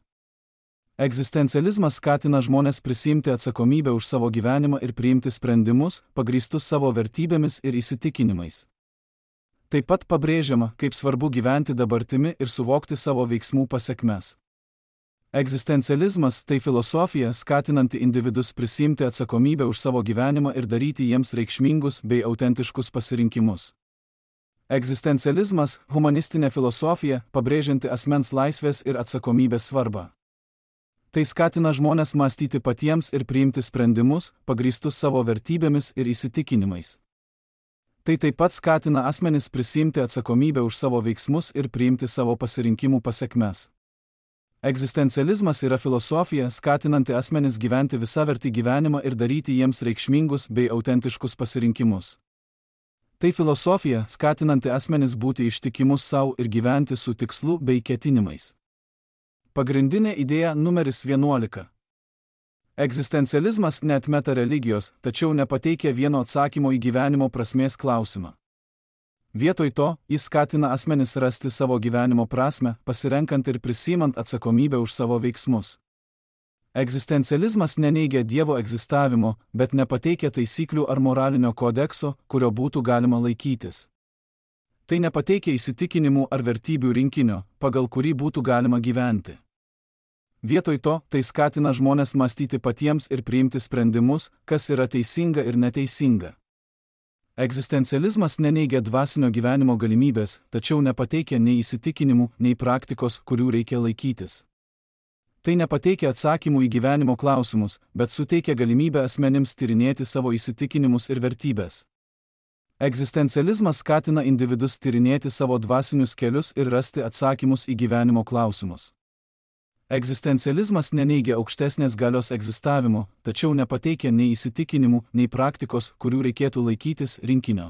Egzistencializmas skatina žmones prisiimti atsakomybę už savo gyvenimą ir priimti sprendimus, pagrįstus savo vertybėmis ir įsitikinimais. Taip pat pabrėžiama, kaip svarbu gyventi dabartimi ir suvokti savo veiksmų pasekmes. Egzistencializmas – tai filosofija, skatinanti individus prisiimti atsakomybę už savo gyvenimą ir daryti jiems reikšmingus bei autentiškus pasirinkimus. Egzistencializmas – humanistinė filosofija, pabrėžianti asmens laisvės ir atsakomybės svarbą. Tai skatina žmones mąstyti patiems ir priimti sprendimus, pagrįstus savo vertybėmis ir įsitikinimais. Tai taip pat skatina asmenis prisiimti atsakomybę už savo veiksmus ir priimti savo pasirinkimų pasekmes. Egzistencializmas yra filosofija, skatinanti asmenis gyventi visavertį gyvenimą ir daryti jiems reikšmingus bei autentiškus pasirinkimus. Tai filosofija, skatinanti asmenis būti ištikimus savo ir gyventi su tikslu bei ketinimais. Pagrindinė idėja numeris 11. Egzistencializmas neatmeta religijos, tačiau nepateikia vieno atsakymo į gyvenimo prasmės klausimą. Vietoj to, jis skatina asmenis rasti savo gyvenimo prasmę, pasirenkant ir prisimant atsakomybę už savo veiksmus. Egzistencializmas neneigia Dievo egzistavimo, bet nepateikia taisyklių ar moralinio kodekso, kurio būtų galima laikytis. Tai nepateikia įsitikinimų ar vertybių rinkinio, pagal kurį būtų galima gyventi. Vietoj to, tai skatina žmones mąstyti patiems ir priimti sprendimus, kas yra teisinga ir neteisinga. Egzistencializmas neneigia dvasinio gyvenimo galimybės, tačiau nepateikia nei įsitikinimų, nei praktikos, kurių reikia laikytis. Tai nepateikia atsakymų į gyvenimo klausimus, bet suteikia galimybę asmenims tyrinėti savo įsitikinimus ir vertybės. Egzistencializmas skatina individus tyrinėti savo dvasinius kelius ir rasti atsakymus į gyvenimo klausimus. Egzistencializmas neneigia aukštesnės galios egzistavimo, tačiau nepateikia nei įsitikinimų, nei praktikos, kurių reikėtų laikytis, rinkinio.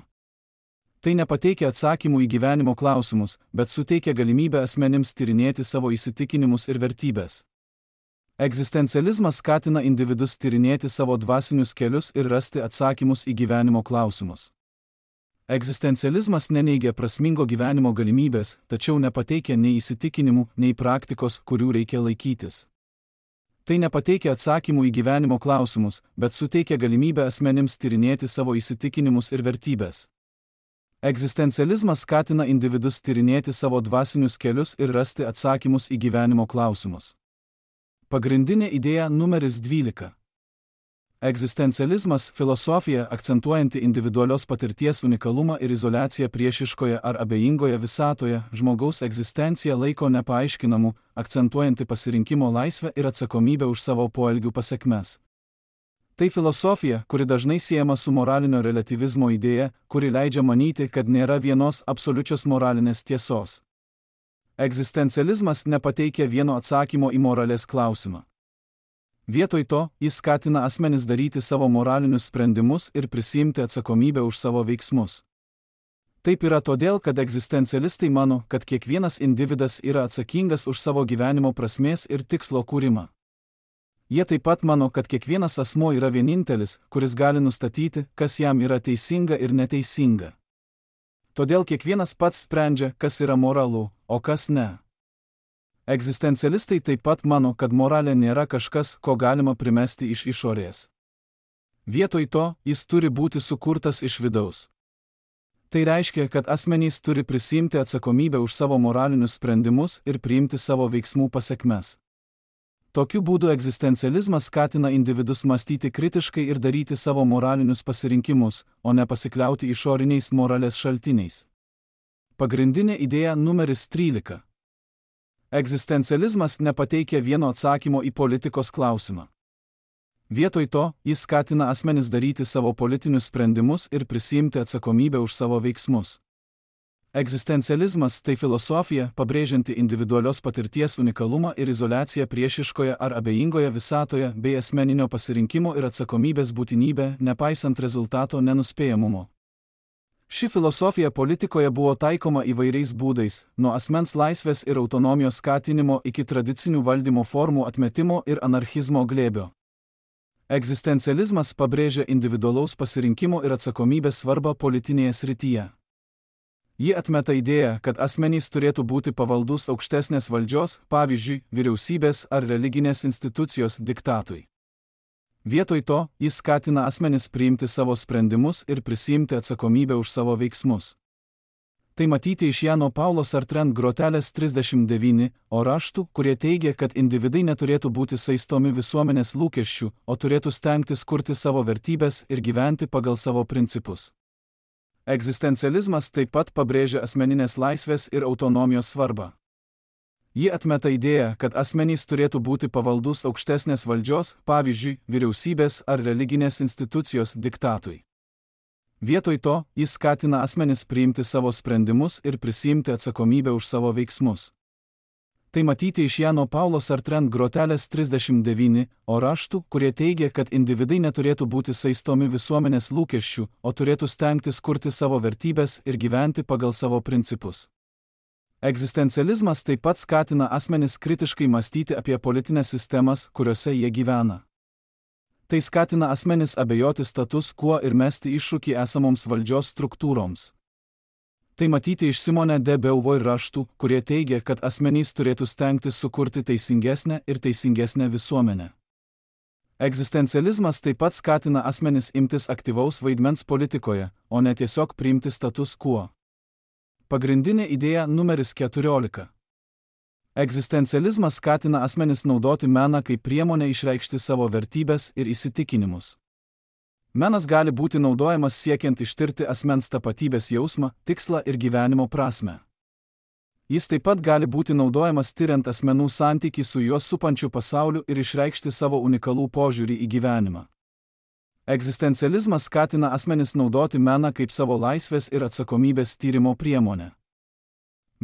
Tai nepateikia atsakymų į gyvenimo klausimus, bet suteikia galimybę asmenims tyrinėti savo įsitikinimus ir vertybės. Egzistencializmas skatina individus tyrinėti savo dvasinius kelius ir rasti atsakymus į gyvenimo klausimus. Egzistencializmas neneigia prasmingo gyvenimo galimybės, tačiau nepateikia nei įsitikinimų, nei praktikos, kurių reikia laikytis. Tai nepateikia atsakymų į gyvenimo klausimus, bet suteikia galimybę asmenims tyrinėti savo įsitikinimus ir vertybės. Egzistencializmas skatina individus tyrinėti savo dvasinius kelius ir rasti atsakymus į gyvenimo klausimus. Pagrindinė idėja numeris 12. Egzistencializmas – filosofija, akcentuojanti individualios patirties unikalumą ir izoliaciją priešiškoje ar abejingoje visatoje, žmogaus egzistenciją laiko nepaaiškinamu, akcentuojanti pasirinkimo laisvę ir atsakomybę už savo poelgių pasekmes. Tai filosofija, kuri dažnai siejama su moralinio relativizmo idėja, kuri leidžia manyti, kad nėra vienos absoliučios moralinės tiesos. Egzistencializmas nepateikia vieno atsakymo į moralės klausimą. Vietoj to, jis skatina asmenis daryti savo moralinius sprendimus ir prisiimti atsakomybę už savo veiksmus. Taip yra todėl, kad egzistencialistai mano, kad kiekvienas individas yra atsakingas už savo gyvenimo prasmės ir tikslo kūrimą. Jie taip pat mano, kad kiekvienas asmuo yra vienintelis, kuris gali nustatyti, kas jam yra teisinga ir neteisinga. Todėl kiekvienas pats sprendžia, kas yra moralu, o kas ne. Egzistencialistai taip pat mano, kad moralė nėra kažkas, ko galima primesti iš išorės. Vietoj to, jis turi būti sukurtas iš vidaus. Tai reiškia, kad asmenys turi prisiimti atsakomybę už savo moralinius sprendimus ir priimti savo veiksmų pasekmes. Tokiu būdu egzistencializmas skatina individus mąstyti kritiškai ir daryti savo moralinius pasirinkimus, o ne pasikliauti išoriniais moralės šaltiniais. Pagrindinė idėja numeris 13. Egzistencializmas nepateikia vieno atsakymo į politikos klausimą. Vietoj to, jis skatina asmenis daryti savo politinius sprendimus ir prisiimti atsakomybę už savo veiksmus. Egzistencializmas tai filosofija, pabrėžianti individualios patirties unikalumą ir izoliaciją priešiškoje ar abejingoje visatoje bei asmeninio pasirinkimo ir atsakomybės būtinybę, nepaisant rezultato nenuspėjamumo. Ši filosofija politikoje buvo taikoma įvairiais būdais, nuo asmens laisvės ir autonomijos skatinimo iki tradicinių valdymo formų atmetimo ir anarchizmo glėbio. Egzistencializmas pabrėžia individualaus pasirinkimo ir atsakomybės svarbą politinėje srityje. Ji atmeta idėją, kad asmenys turėtų būti pavaldus aukštesnės valdžios, pavyzdžiui, vyriausybės ar religinės institucijos diktatui. Vietoj to, jis skatina asmenis priimti savo sprendimus ir prisiimti atsakomybę už savo veiksmus. Tai matyti iš Jano Paulo Sartre grotelės 39, o raštų, kurie teigia, kad individai neturėtų būti saistomi visuomenės lūkesčių, o turėtų stengtis kurti savo vertybės ir gyventi pagal savo principus. Egzistencializmas taip pat pabrėžia asmeninės laisvės ir autonomijos svarbą. Ji atmeta idėją, kad asmenys turėtų būti pavaldus aukštesnės valdžios, pavyzdžiui, vyriausybės ar religinės institucijos diktatui. Vietoj to, jis skatina asmenis priimti savo sprendimus ir prisiimti atsakomybę už savo veiksmus. Tai matyti iš Jano Paulo Sartre grotelės 39, o raštų, kurie teigia, kad individai neturėtų būti saistomi visuomenės lūkesčių, o turėtų stengtis kurti savo vertybės ir gyventi pagal savo principus. Egzistencializmas taip pat skatina asmenis kritiškai mąstyti apie politinės sistemas, kuriuose jie gyvena. Tai skatina asmenis abejoti status quo ir mesti iššūkį esamoms valdžios struktūroms. Tai matyti iš Simone de Beauvoir raštų, kurie teigia, kad asmenys turėtų stengtis sukurti teisingesnę ir teisingesnę visuomenę. Egzistencializmas taip pat skatina asmenis imtis aktyvaus vaidmens politikoje, o ne tiesiog priimti status quo. Pagrindinė idėja numeris 14. Egzistencializmas skatina asmenis naudoti meną kaip priemonę išreikšti savo vertybės ir įsitikinimus. Menas gali būti naudojamas siekiant ištirti asmens tapatybės jausmą, tikslą ir gyvenimo prasmę. Jis taip pat gali būti naudojamas tiriant asmenų santykį su juos supančiu pasauliu ir išreikšti savo unikalų požiūrį į gyvenimą. Egzistencializmas skatina asmenis naudoti meną kaip savo laisvės ir atsakomybės tyrimo priemonę.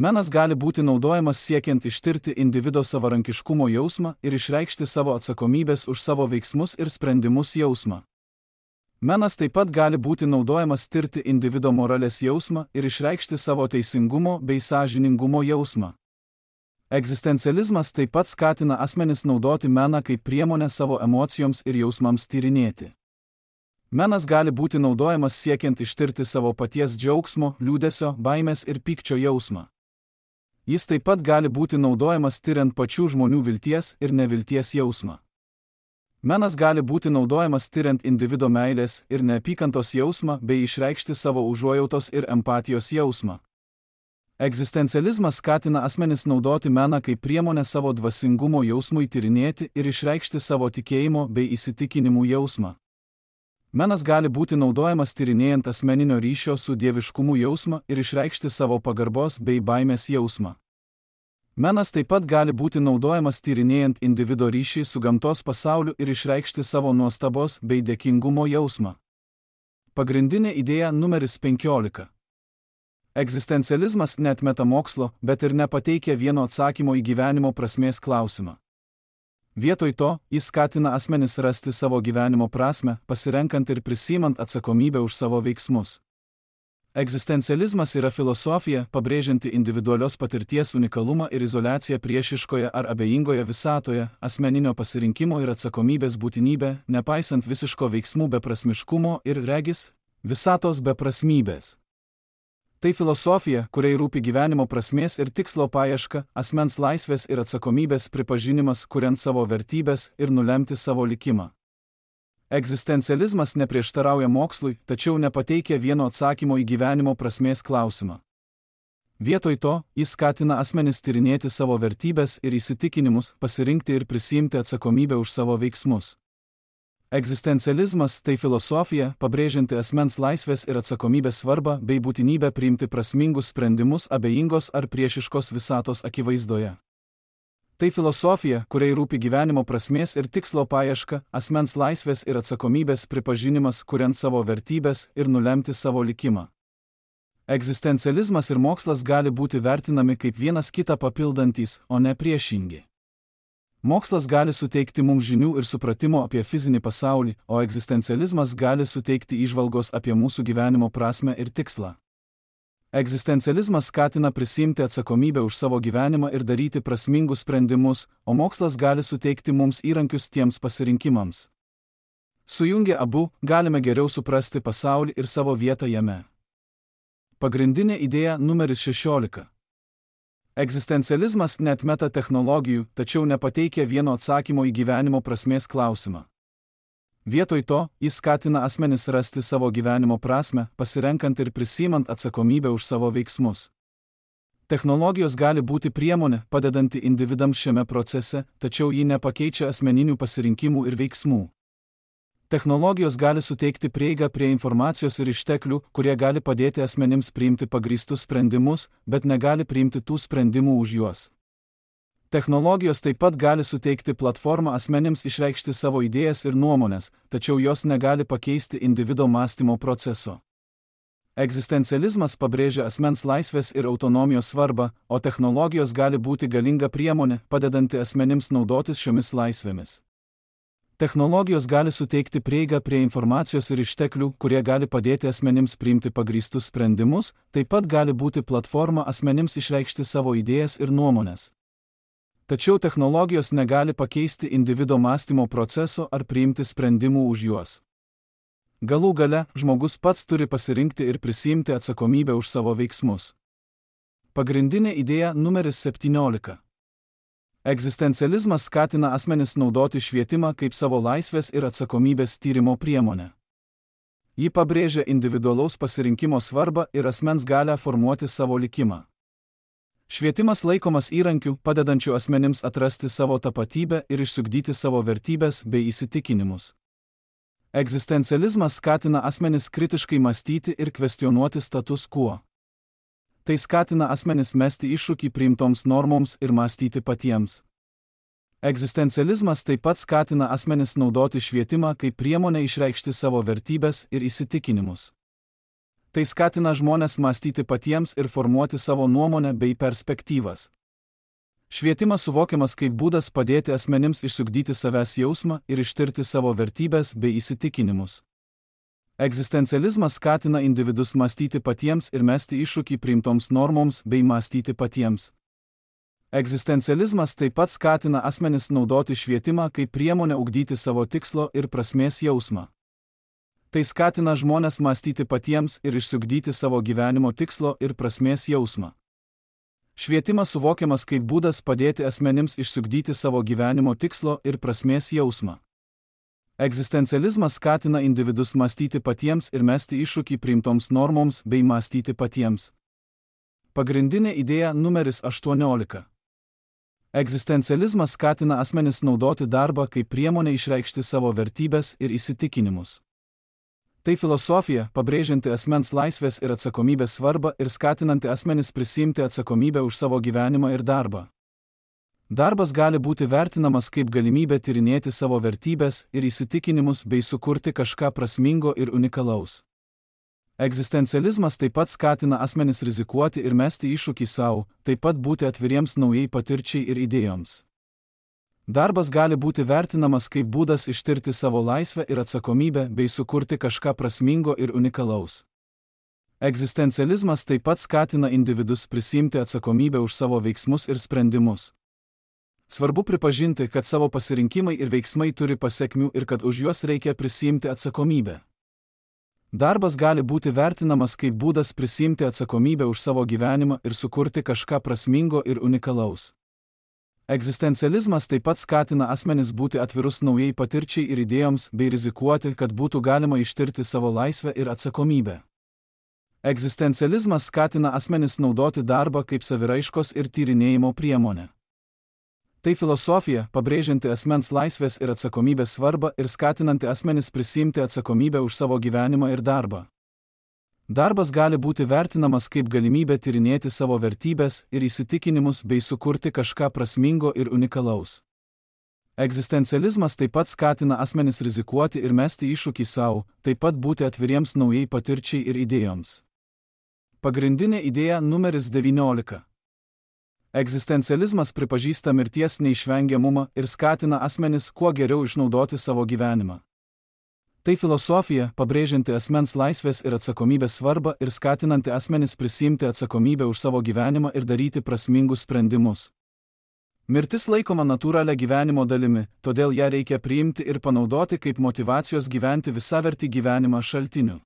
Menas gali būti naudojamas siekiant ištirti individo savarankiškumo jausmą ir išreikšti savo atsakomybės už savo veiksmus ir sprendimus jausmą. Menas taip pat gali būti naudojamas tirti individo moralės jausmą ir išreikšti savo teisingumo bei sąžiningumo jausmą. Egzistencializmas taip pat skatina asmenis naudoti meną kaip priemonę savo emocijoms ir jausmams tyrinėti. Menas gali būti naudojamas siekiant ištirti savo paties džiaugsmo, liūdesio, baimės ir pykčio jausmą. Jis taip pat gali būti naudojamas tiriant pačių žmonių vilties ir nevilties jausmą. Menas gali būti naudojamas tiriant individo meilės ir neapykantos jausmą bei išreikšti savo užuojautos ir empatijos jausmą. Egzistencializmas skatina asmenis naudoti meną kaip priemonę savo dvasingumo jausmui tyrinėti ir išreikšti savo tikėjimo bei įsitikinimų jausmą. Menas gali būti naudojamas tyrinėjant asmeninio ryšio su dieviškumu jausmą ir išreikšti savo pagarbos bei baimės jausmą. Menas taip pat gali būti naudojamas tyrinėjant individo ryšį su gamtos pasauliu ir išreikšti savo nuostabos bei dėkingumo jausmą. Pagrindinė idėja numeris 15. Egzistencializmas neatmeta mokslo, bet ir nepateikia vieno atsakymo į gyvenimo prasmės klausimą. Vietoj to, jis skatina asmenis rasti savo gyvenimo prasmę, pasirenkant ir prisimant atsakomybę už savo veiksmus. Egzistencializmas yra filosofija, pabrėžianti individualios patirties unikalumą ir izoliaciją priešiškoje ar abejingoje visatoje, asmeninio pasirinkimo ir atsakomybės būtinybę, nepaisant visiško veiksmų beprasmiškumo ir regis visatos beprasmybės. Tai filosofija, kuriai rūpi gyvenimo prasmės ir tikslo paieška, asmens laisvės ir atsakomybės pripažinimas, kuriant savo vertybės ir nulemti savo likimą. Egzistencializmas neprieštarauja mokslui, tačiau nepateikia vieno atsakymo į gyvenimo prasmės klausimą. Vietoj to, jis skatina asmenis tyrinėti savo vertybės ir įsitikinimus, pasirinkti ir prisiimti atsakomybę už savo veiksmus. Egzistencializmas tai filosofija, pabrėžianti asmens laisvės ir atsakomybės svarbą bei būtinybę priimti prasmingus sprendimus abejingos ar priešiškos visatos akivaizdoje. Tai filosofija, kuriai rūpi gyvenimo prasmės ir tikslo paieška, asmens laisvės ir atsakomybės pripažinimas, kuriant savo vertybės ir nulemti savo likimą. Egzistencializmas ir mokslas gali būti vertinami kaip vienas kitą papildantys, o ne priešingi. Mokslas gali suteikti mums žinių ir supratimo apie fizinį pasaulį, o egzistencializmas gali suteikti įžvalgos apie mūsų gyvenimo prasmę ir tikslą. Egzistencializmas skatina prisiimti atsakomybę už savo gyvenimą ir daryti prasmingus sprendimus, o mokslas gali suteikti mums įrankius tiems pasirinkimams. Sujungę abu, galime geriau suprasti pasaulį ir savo vietą jame. Pagrindinė idėja numeris 16. Egzistencializmas neatmeta technologijų, tačiau nepateikia vieno atsakymo į gyvenimo prasmės klausimą. Vietoj to, jis skatina asmenis rasti savo gyvenimo prasmę, pasirenkant ir prisiimant atsakomybę už savo veiksmus. Technologijos gali būti priemonė, padedanti individams šiame procese, tačiau ji nepakeičia asmeninių pasirinkimų ir veiksmų. Technologijos gali suteikti prieigą prie informacijos ir išteklių, kurie gali padėti asmenims priimti pagrįstus sprendimus, bet negali priimti tų sprendimų už juos. Technologijos taip pat gali suteikti platformą asmenims išreikšti savo idėjas ir nuomonės, tačiau jos negali pakeisti individo mąstymo proceso. Egzistencializmas pabrėžia asmens laisvės ir autonomijos svarbą, o technologijos gali būti galinga priemonė, padedanti asmenims naudotis šiomis laisvėmis. Technologijos gali suteikti prieigą prie informacijos ir išteklių, kurie gali padėti asmenims priimti pagrįstus sprendimus, taip pat gali būti platforma asmenims išreikšti savo idėjas ir nuomonės. Tačiau technologijos negali pakeisti individo mąstymo proceso ar priimti sprendimų už juos. Galų gale, žmogus pats turi pasirinkti ir prisiimti atsakomybę už savo veiksmus. Pagrindinė idėja numeris 17. Egzistencializmas skatina asmenis naudoti švietimą kaip savo laisvės ir atsakomybės tyrimo priemonę. Ji pabrėžia individualaus pasirinkimo svarbą ir asmens galią formuoti savo likimą. Švietimas laikomas įrankiu, padedančiu asmenims atrasti savo tapatybę ir išsiugdyti savo vertybės bei įsitikinimus. Egzistencializmas skatina asmenis kritiškai mąstyti ir kvestionuoti status quo. Tai skatina asmenis mesti iššūkį priimtoms normoms ir mąstyti patiems. Egzistencializmas taip pat skatina asmenis naudoti švietimą kaip priemonę išreikšti savo vertybės ir įsitikinimus. Tai skatina žmones mąstyti patiems ir formuoti savo nuomonę bei perspektyvas. Švietimas suvokiamas kaip būdas padėti asmenims išsiugdyti savęs jausmą ir ištirti savo vertybės bei įsitikinimus. Egzistencializmas skatina individus mąstyti patiems ir mesti iššūkį priimtoms normoms bei mąstyti patiems. Egzistencializmas taip pat skatina asmenis naudoti švietimą kaip priemonę ugdyti savo tikslo ir prasmės jausmą. Tai skatina žmones mąstyti patiems ir išsiugdyti savo gyvenimo tikslo ir prasmės jausmą. Švietimas suvokiamas kaip būdas padėti asmenims išsiugdyti savo gyvenimo tikslo ir prasmės jausmą. Egzistencializmas skatina individus mąstyti patiems ir mesti iššūkį priimtoms normoms bei mąstyti patiems. Pagrindinė idėja numeris 18. Egzistencializmas skatina asmenis naudoti darbą kaip priemonę išreikšti savo vertybės ir įsitikinimus. Tai filosofija, pabrėžianti asmens laisvės ir atsakomybės svarbą ir skatinanti asmenis prisiimti atsakomybę už savo gyvenimą ir darbą. Darbas gali būti vertinamas kaip galimybė tyrinėti savo vertybės ir įsitikinimus bei sukurti kažką prasmingo ir unikalaus. Egzistencializmas taip pat skatina asmenis rizikuoti ir mesti iššūkį savo, taip pat būti atviriems naujai patirčiai ir idėjoms. Darbas gali būti vertinamas kaip būdas ištirti savo laisvę ir atsakomybę bei sukurti kažką prasmingo ir unikalaus. Egzistencializmas taip pat skatina individus prisiimti atsakomybę už savo veiksmus ir sprendimus. Svarbu pripažinti, kad savo pasirinkimai ir veiksmai turi pasekmių ir kad už juos reikia prisiimti atsakomybę. Darbas gali būti vertinamas kaip būdas prisiimti atsakomybę už savo gyvenimą ir sukurti kažką prasmingo ir unikalaus. Egzistencializmas taip pat skatina asmenis būti atvirus naujai patirčiai ir idėjoms bei rizikuoti, kad būtų galima ištirti savo laisvę ir atsakomybę. Egzistencializmas skatina asmenis naudoti darbą kaip saviraiškos ir tyrinėjimo priemonę. Tai filosofija, pabrėžianti asmens laisvės ir atsakomybės svarbą ir skatinanti asmenis prisiimti atsakomybę už savo gyvenimą ir darbą. Darbas gali būti vertinamas kaip galimybė tyrinėti savo vertybės ir įsitikinimus bei sukurti kažką prasmingo ir unikalaus. Egzistencializmas taip pat skatina asmenis rizikuoti ir mesti iššūkį savo, taip pat būti atviriems naujai patirčiai ir idėjoms. Pagrindinė idėja numeris 19. Egzistencializmas pripažįsta mirties neišvengiamumą ir skatina asmenis kuo geriau išnaudoti savo gyvenimą. Tai filosofija, pabrėžianti asmens laisvės ir atsakomybės svarbą ir skatinanti asmenis prisiimti atsakomybę už savo gyvenimą ir daryti prasmingus sprendimus. Mirtis laikoma natūralia gyvenimo dalimi, todėl ją reikia priimti ir panaudoti kaip motyvacijos gyventi visavertį gyvenimą šaltiniu.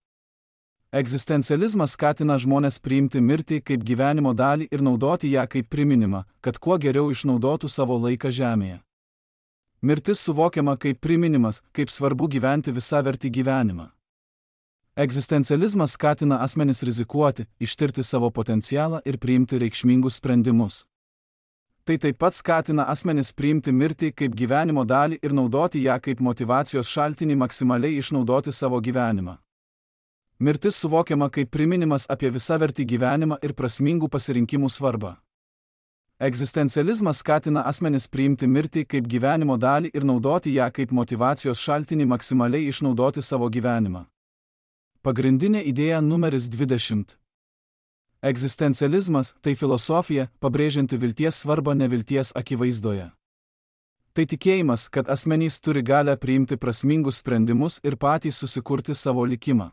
Egzistencializmas skatina žmones priimti mirtį kaip gyvenimo dalį ir naudoti ją kaip priminimą, kad kuo geriau išnaudotų savo laiką žemėje. Mirtis suvokiama kaip priminimas, kaip svarbu gyventi visavertį gyvenimą. Egzistencializmas skatina asmenis rizikuoti, ištirti savo potencialą ir priimti reikšmingus sprendimus. Tai taip pat skatina asmenis priimti mirtį kaip gyvenimo dalį ir naudoti ją kaip motyvacijos šaltinį maksimaliai išnaudoti savo gyvenimą. Mirtis suvokiama kaip priminimas apie visavertį gyvenimą ir prasmingų pasirinkimų svarbą. Egzistencializmas skatina asmenis priimti mirtį kaip gyvenimo dalį ir naudoti ją kaip motyvacijos šaltinį maksimaliai išnaudoti savo gyvenimą. Pagrindinė idėja numeris 20. Egzistencializmas – tai filosofija, pabrėžianti vilties svarbą nevilties akivaizdoje. Tai tikėjimas, kad asmenys turi galią priimti prasmingus sprendimus ir patys susikurti savo likimą.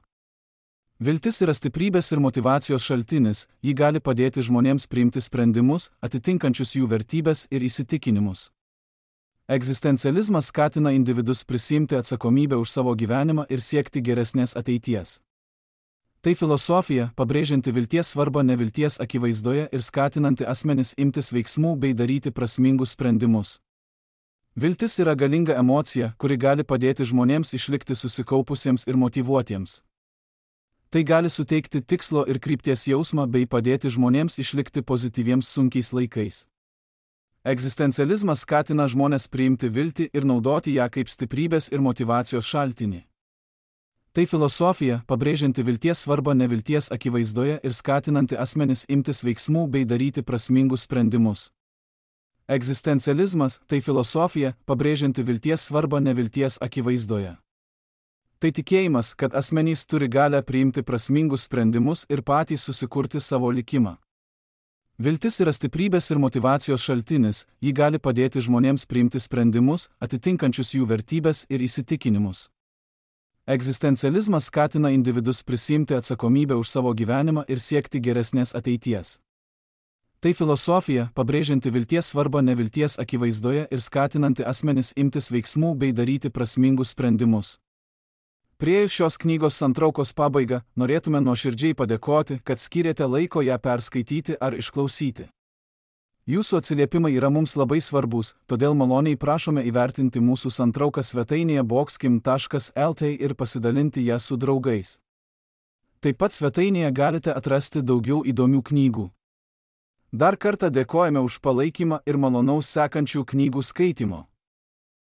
Viltis yra stiprybės ir motyvacijos šaltinis, ji gali padėti žmonėms priimti sprendimus, atitinkančius jų vertybės ir įsitikinimus. Egzistencializmas skatina individus prisiimti atsakomybę už savo gyvenimą ir siekti geresnės ateities. Tai filosofija, pabrėžianti vilties svarbą nevilties akivaizdoje ir skatinanti asmenis imtis veiksmų bei daryti prasmingus sprendimus. Viltis yra galinga emocija, kuri gali padėti žmonėms išlikti susikaupusiems ir motyvuotiems. Tai gali suteikti tikslo ir krypties jausmą bei padėti žmonėms išlikti pozityviems sunkiais laikais. Egzistencializmas skatina žmones priimti viltį ir naudoti ją kaip stiprybės ir motyvacijos šaltinį. Tai filosofija, pabrėžianti vilties svarbą nevilties akivaizdoje ir skatinanti asmenis imtis veiksmų bei daryti prasmingus sprendimus. Egzistencializmas – tai filosofija, pabrėžianti vilties svarbą nevilties akivaizdoje. Tai tikėjimas, kad asmenys turi galią priimti prasmingus sprendimus ir patys susikurti savo likimą. Viltis yra stiprybės ir motyvacijos šaltinis, ji gali padėti žmonėms priimti sprendimus, atitinkančius jų vertybės ir įsitikinimus. Egzistencializmas skatina individus prisiimti atsakomybę už savo gyvenimą ir siekti geresnės ateities. Tai filosofija, pabrėžianti vilties svarbą nevilties akivaizdoje ir skatinanti asmenis imtis veiksmų bei daryti prasmingus sprendimus. Priėjus šios knygos santraukos pabaigą, norėtume nuoširdžiai padėkoti, kad skyrėte laiko ją perskaityti ar išklausyti. Jūsų atsiliepimai yra mums labai svarbus, todėl maloniai prašome įvertinti mūsų santrauką svetainėje boxkim.lt ir pasidalinti ją su draugais. Taip pat svetainėje galite atrasti daugiau įdomių knygų. Dar kartą dėkojame už palaikymą ir malonaus sekančių knygų skaitimo.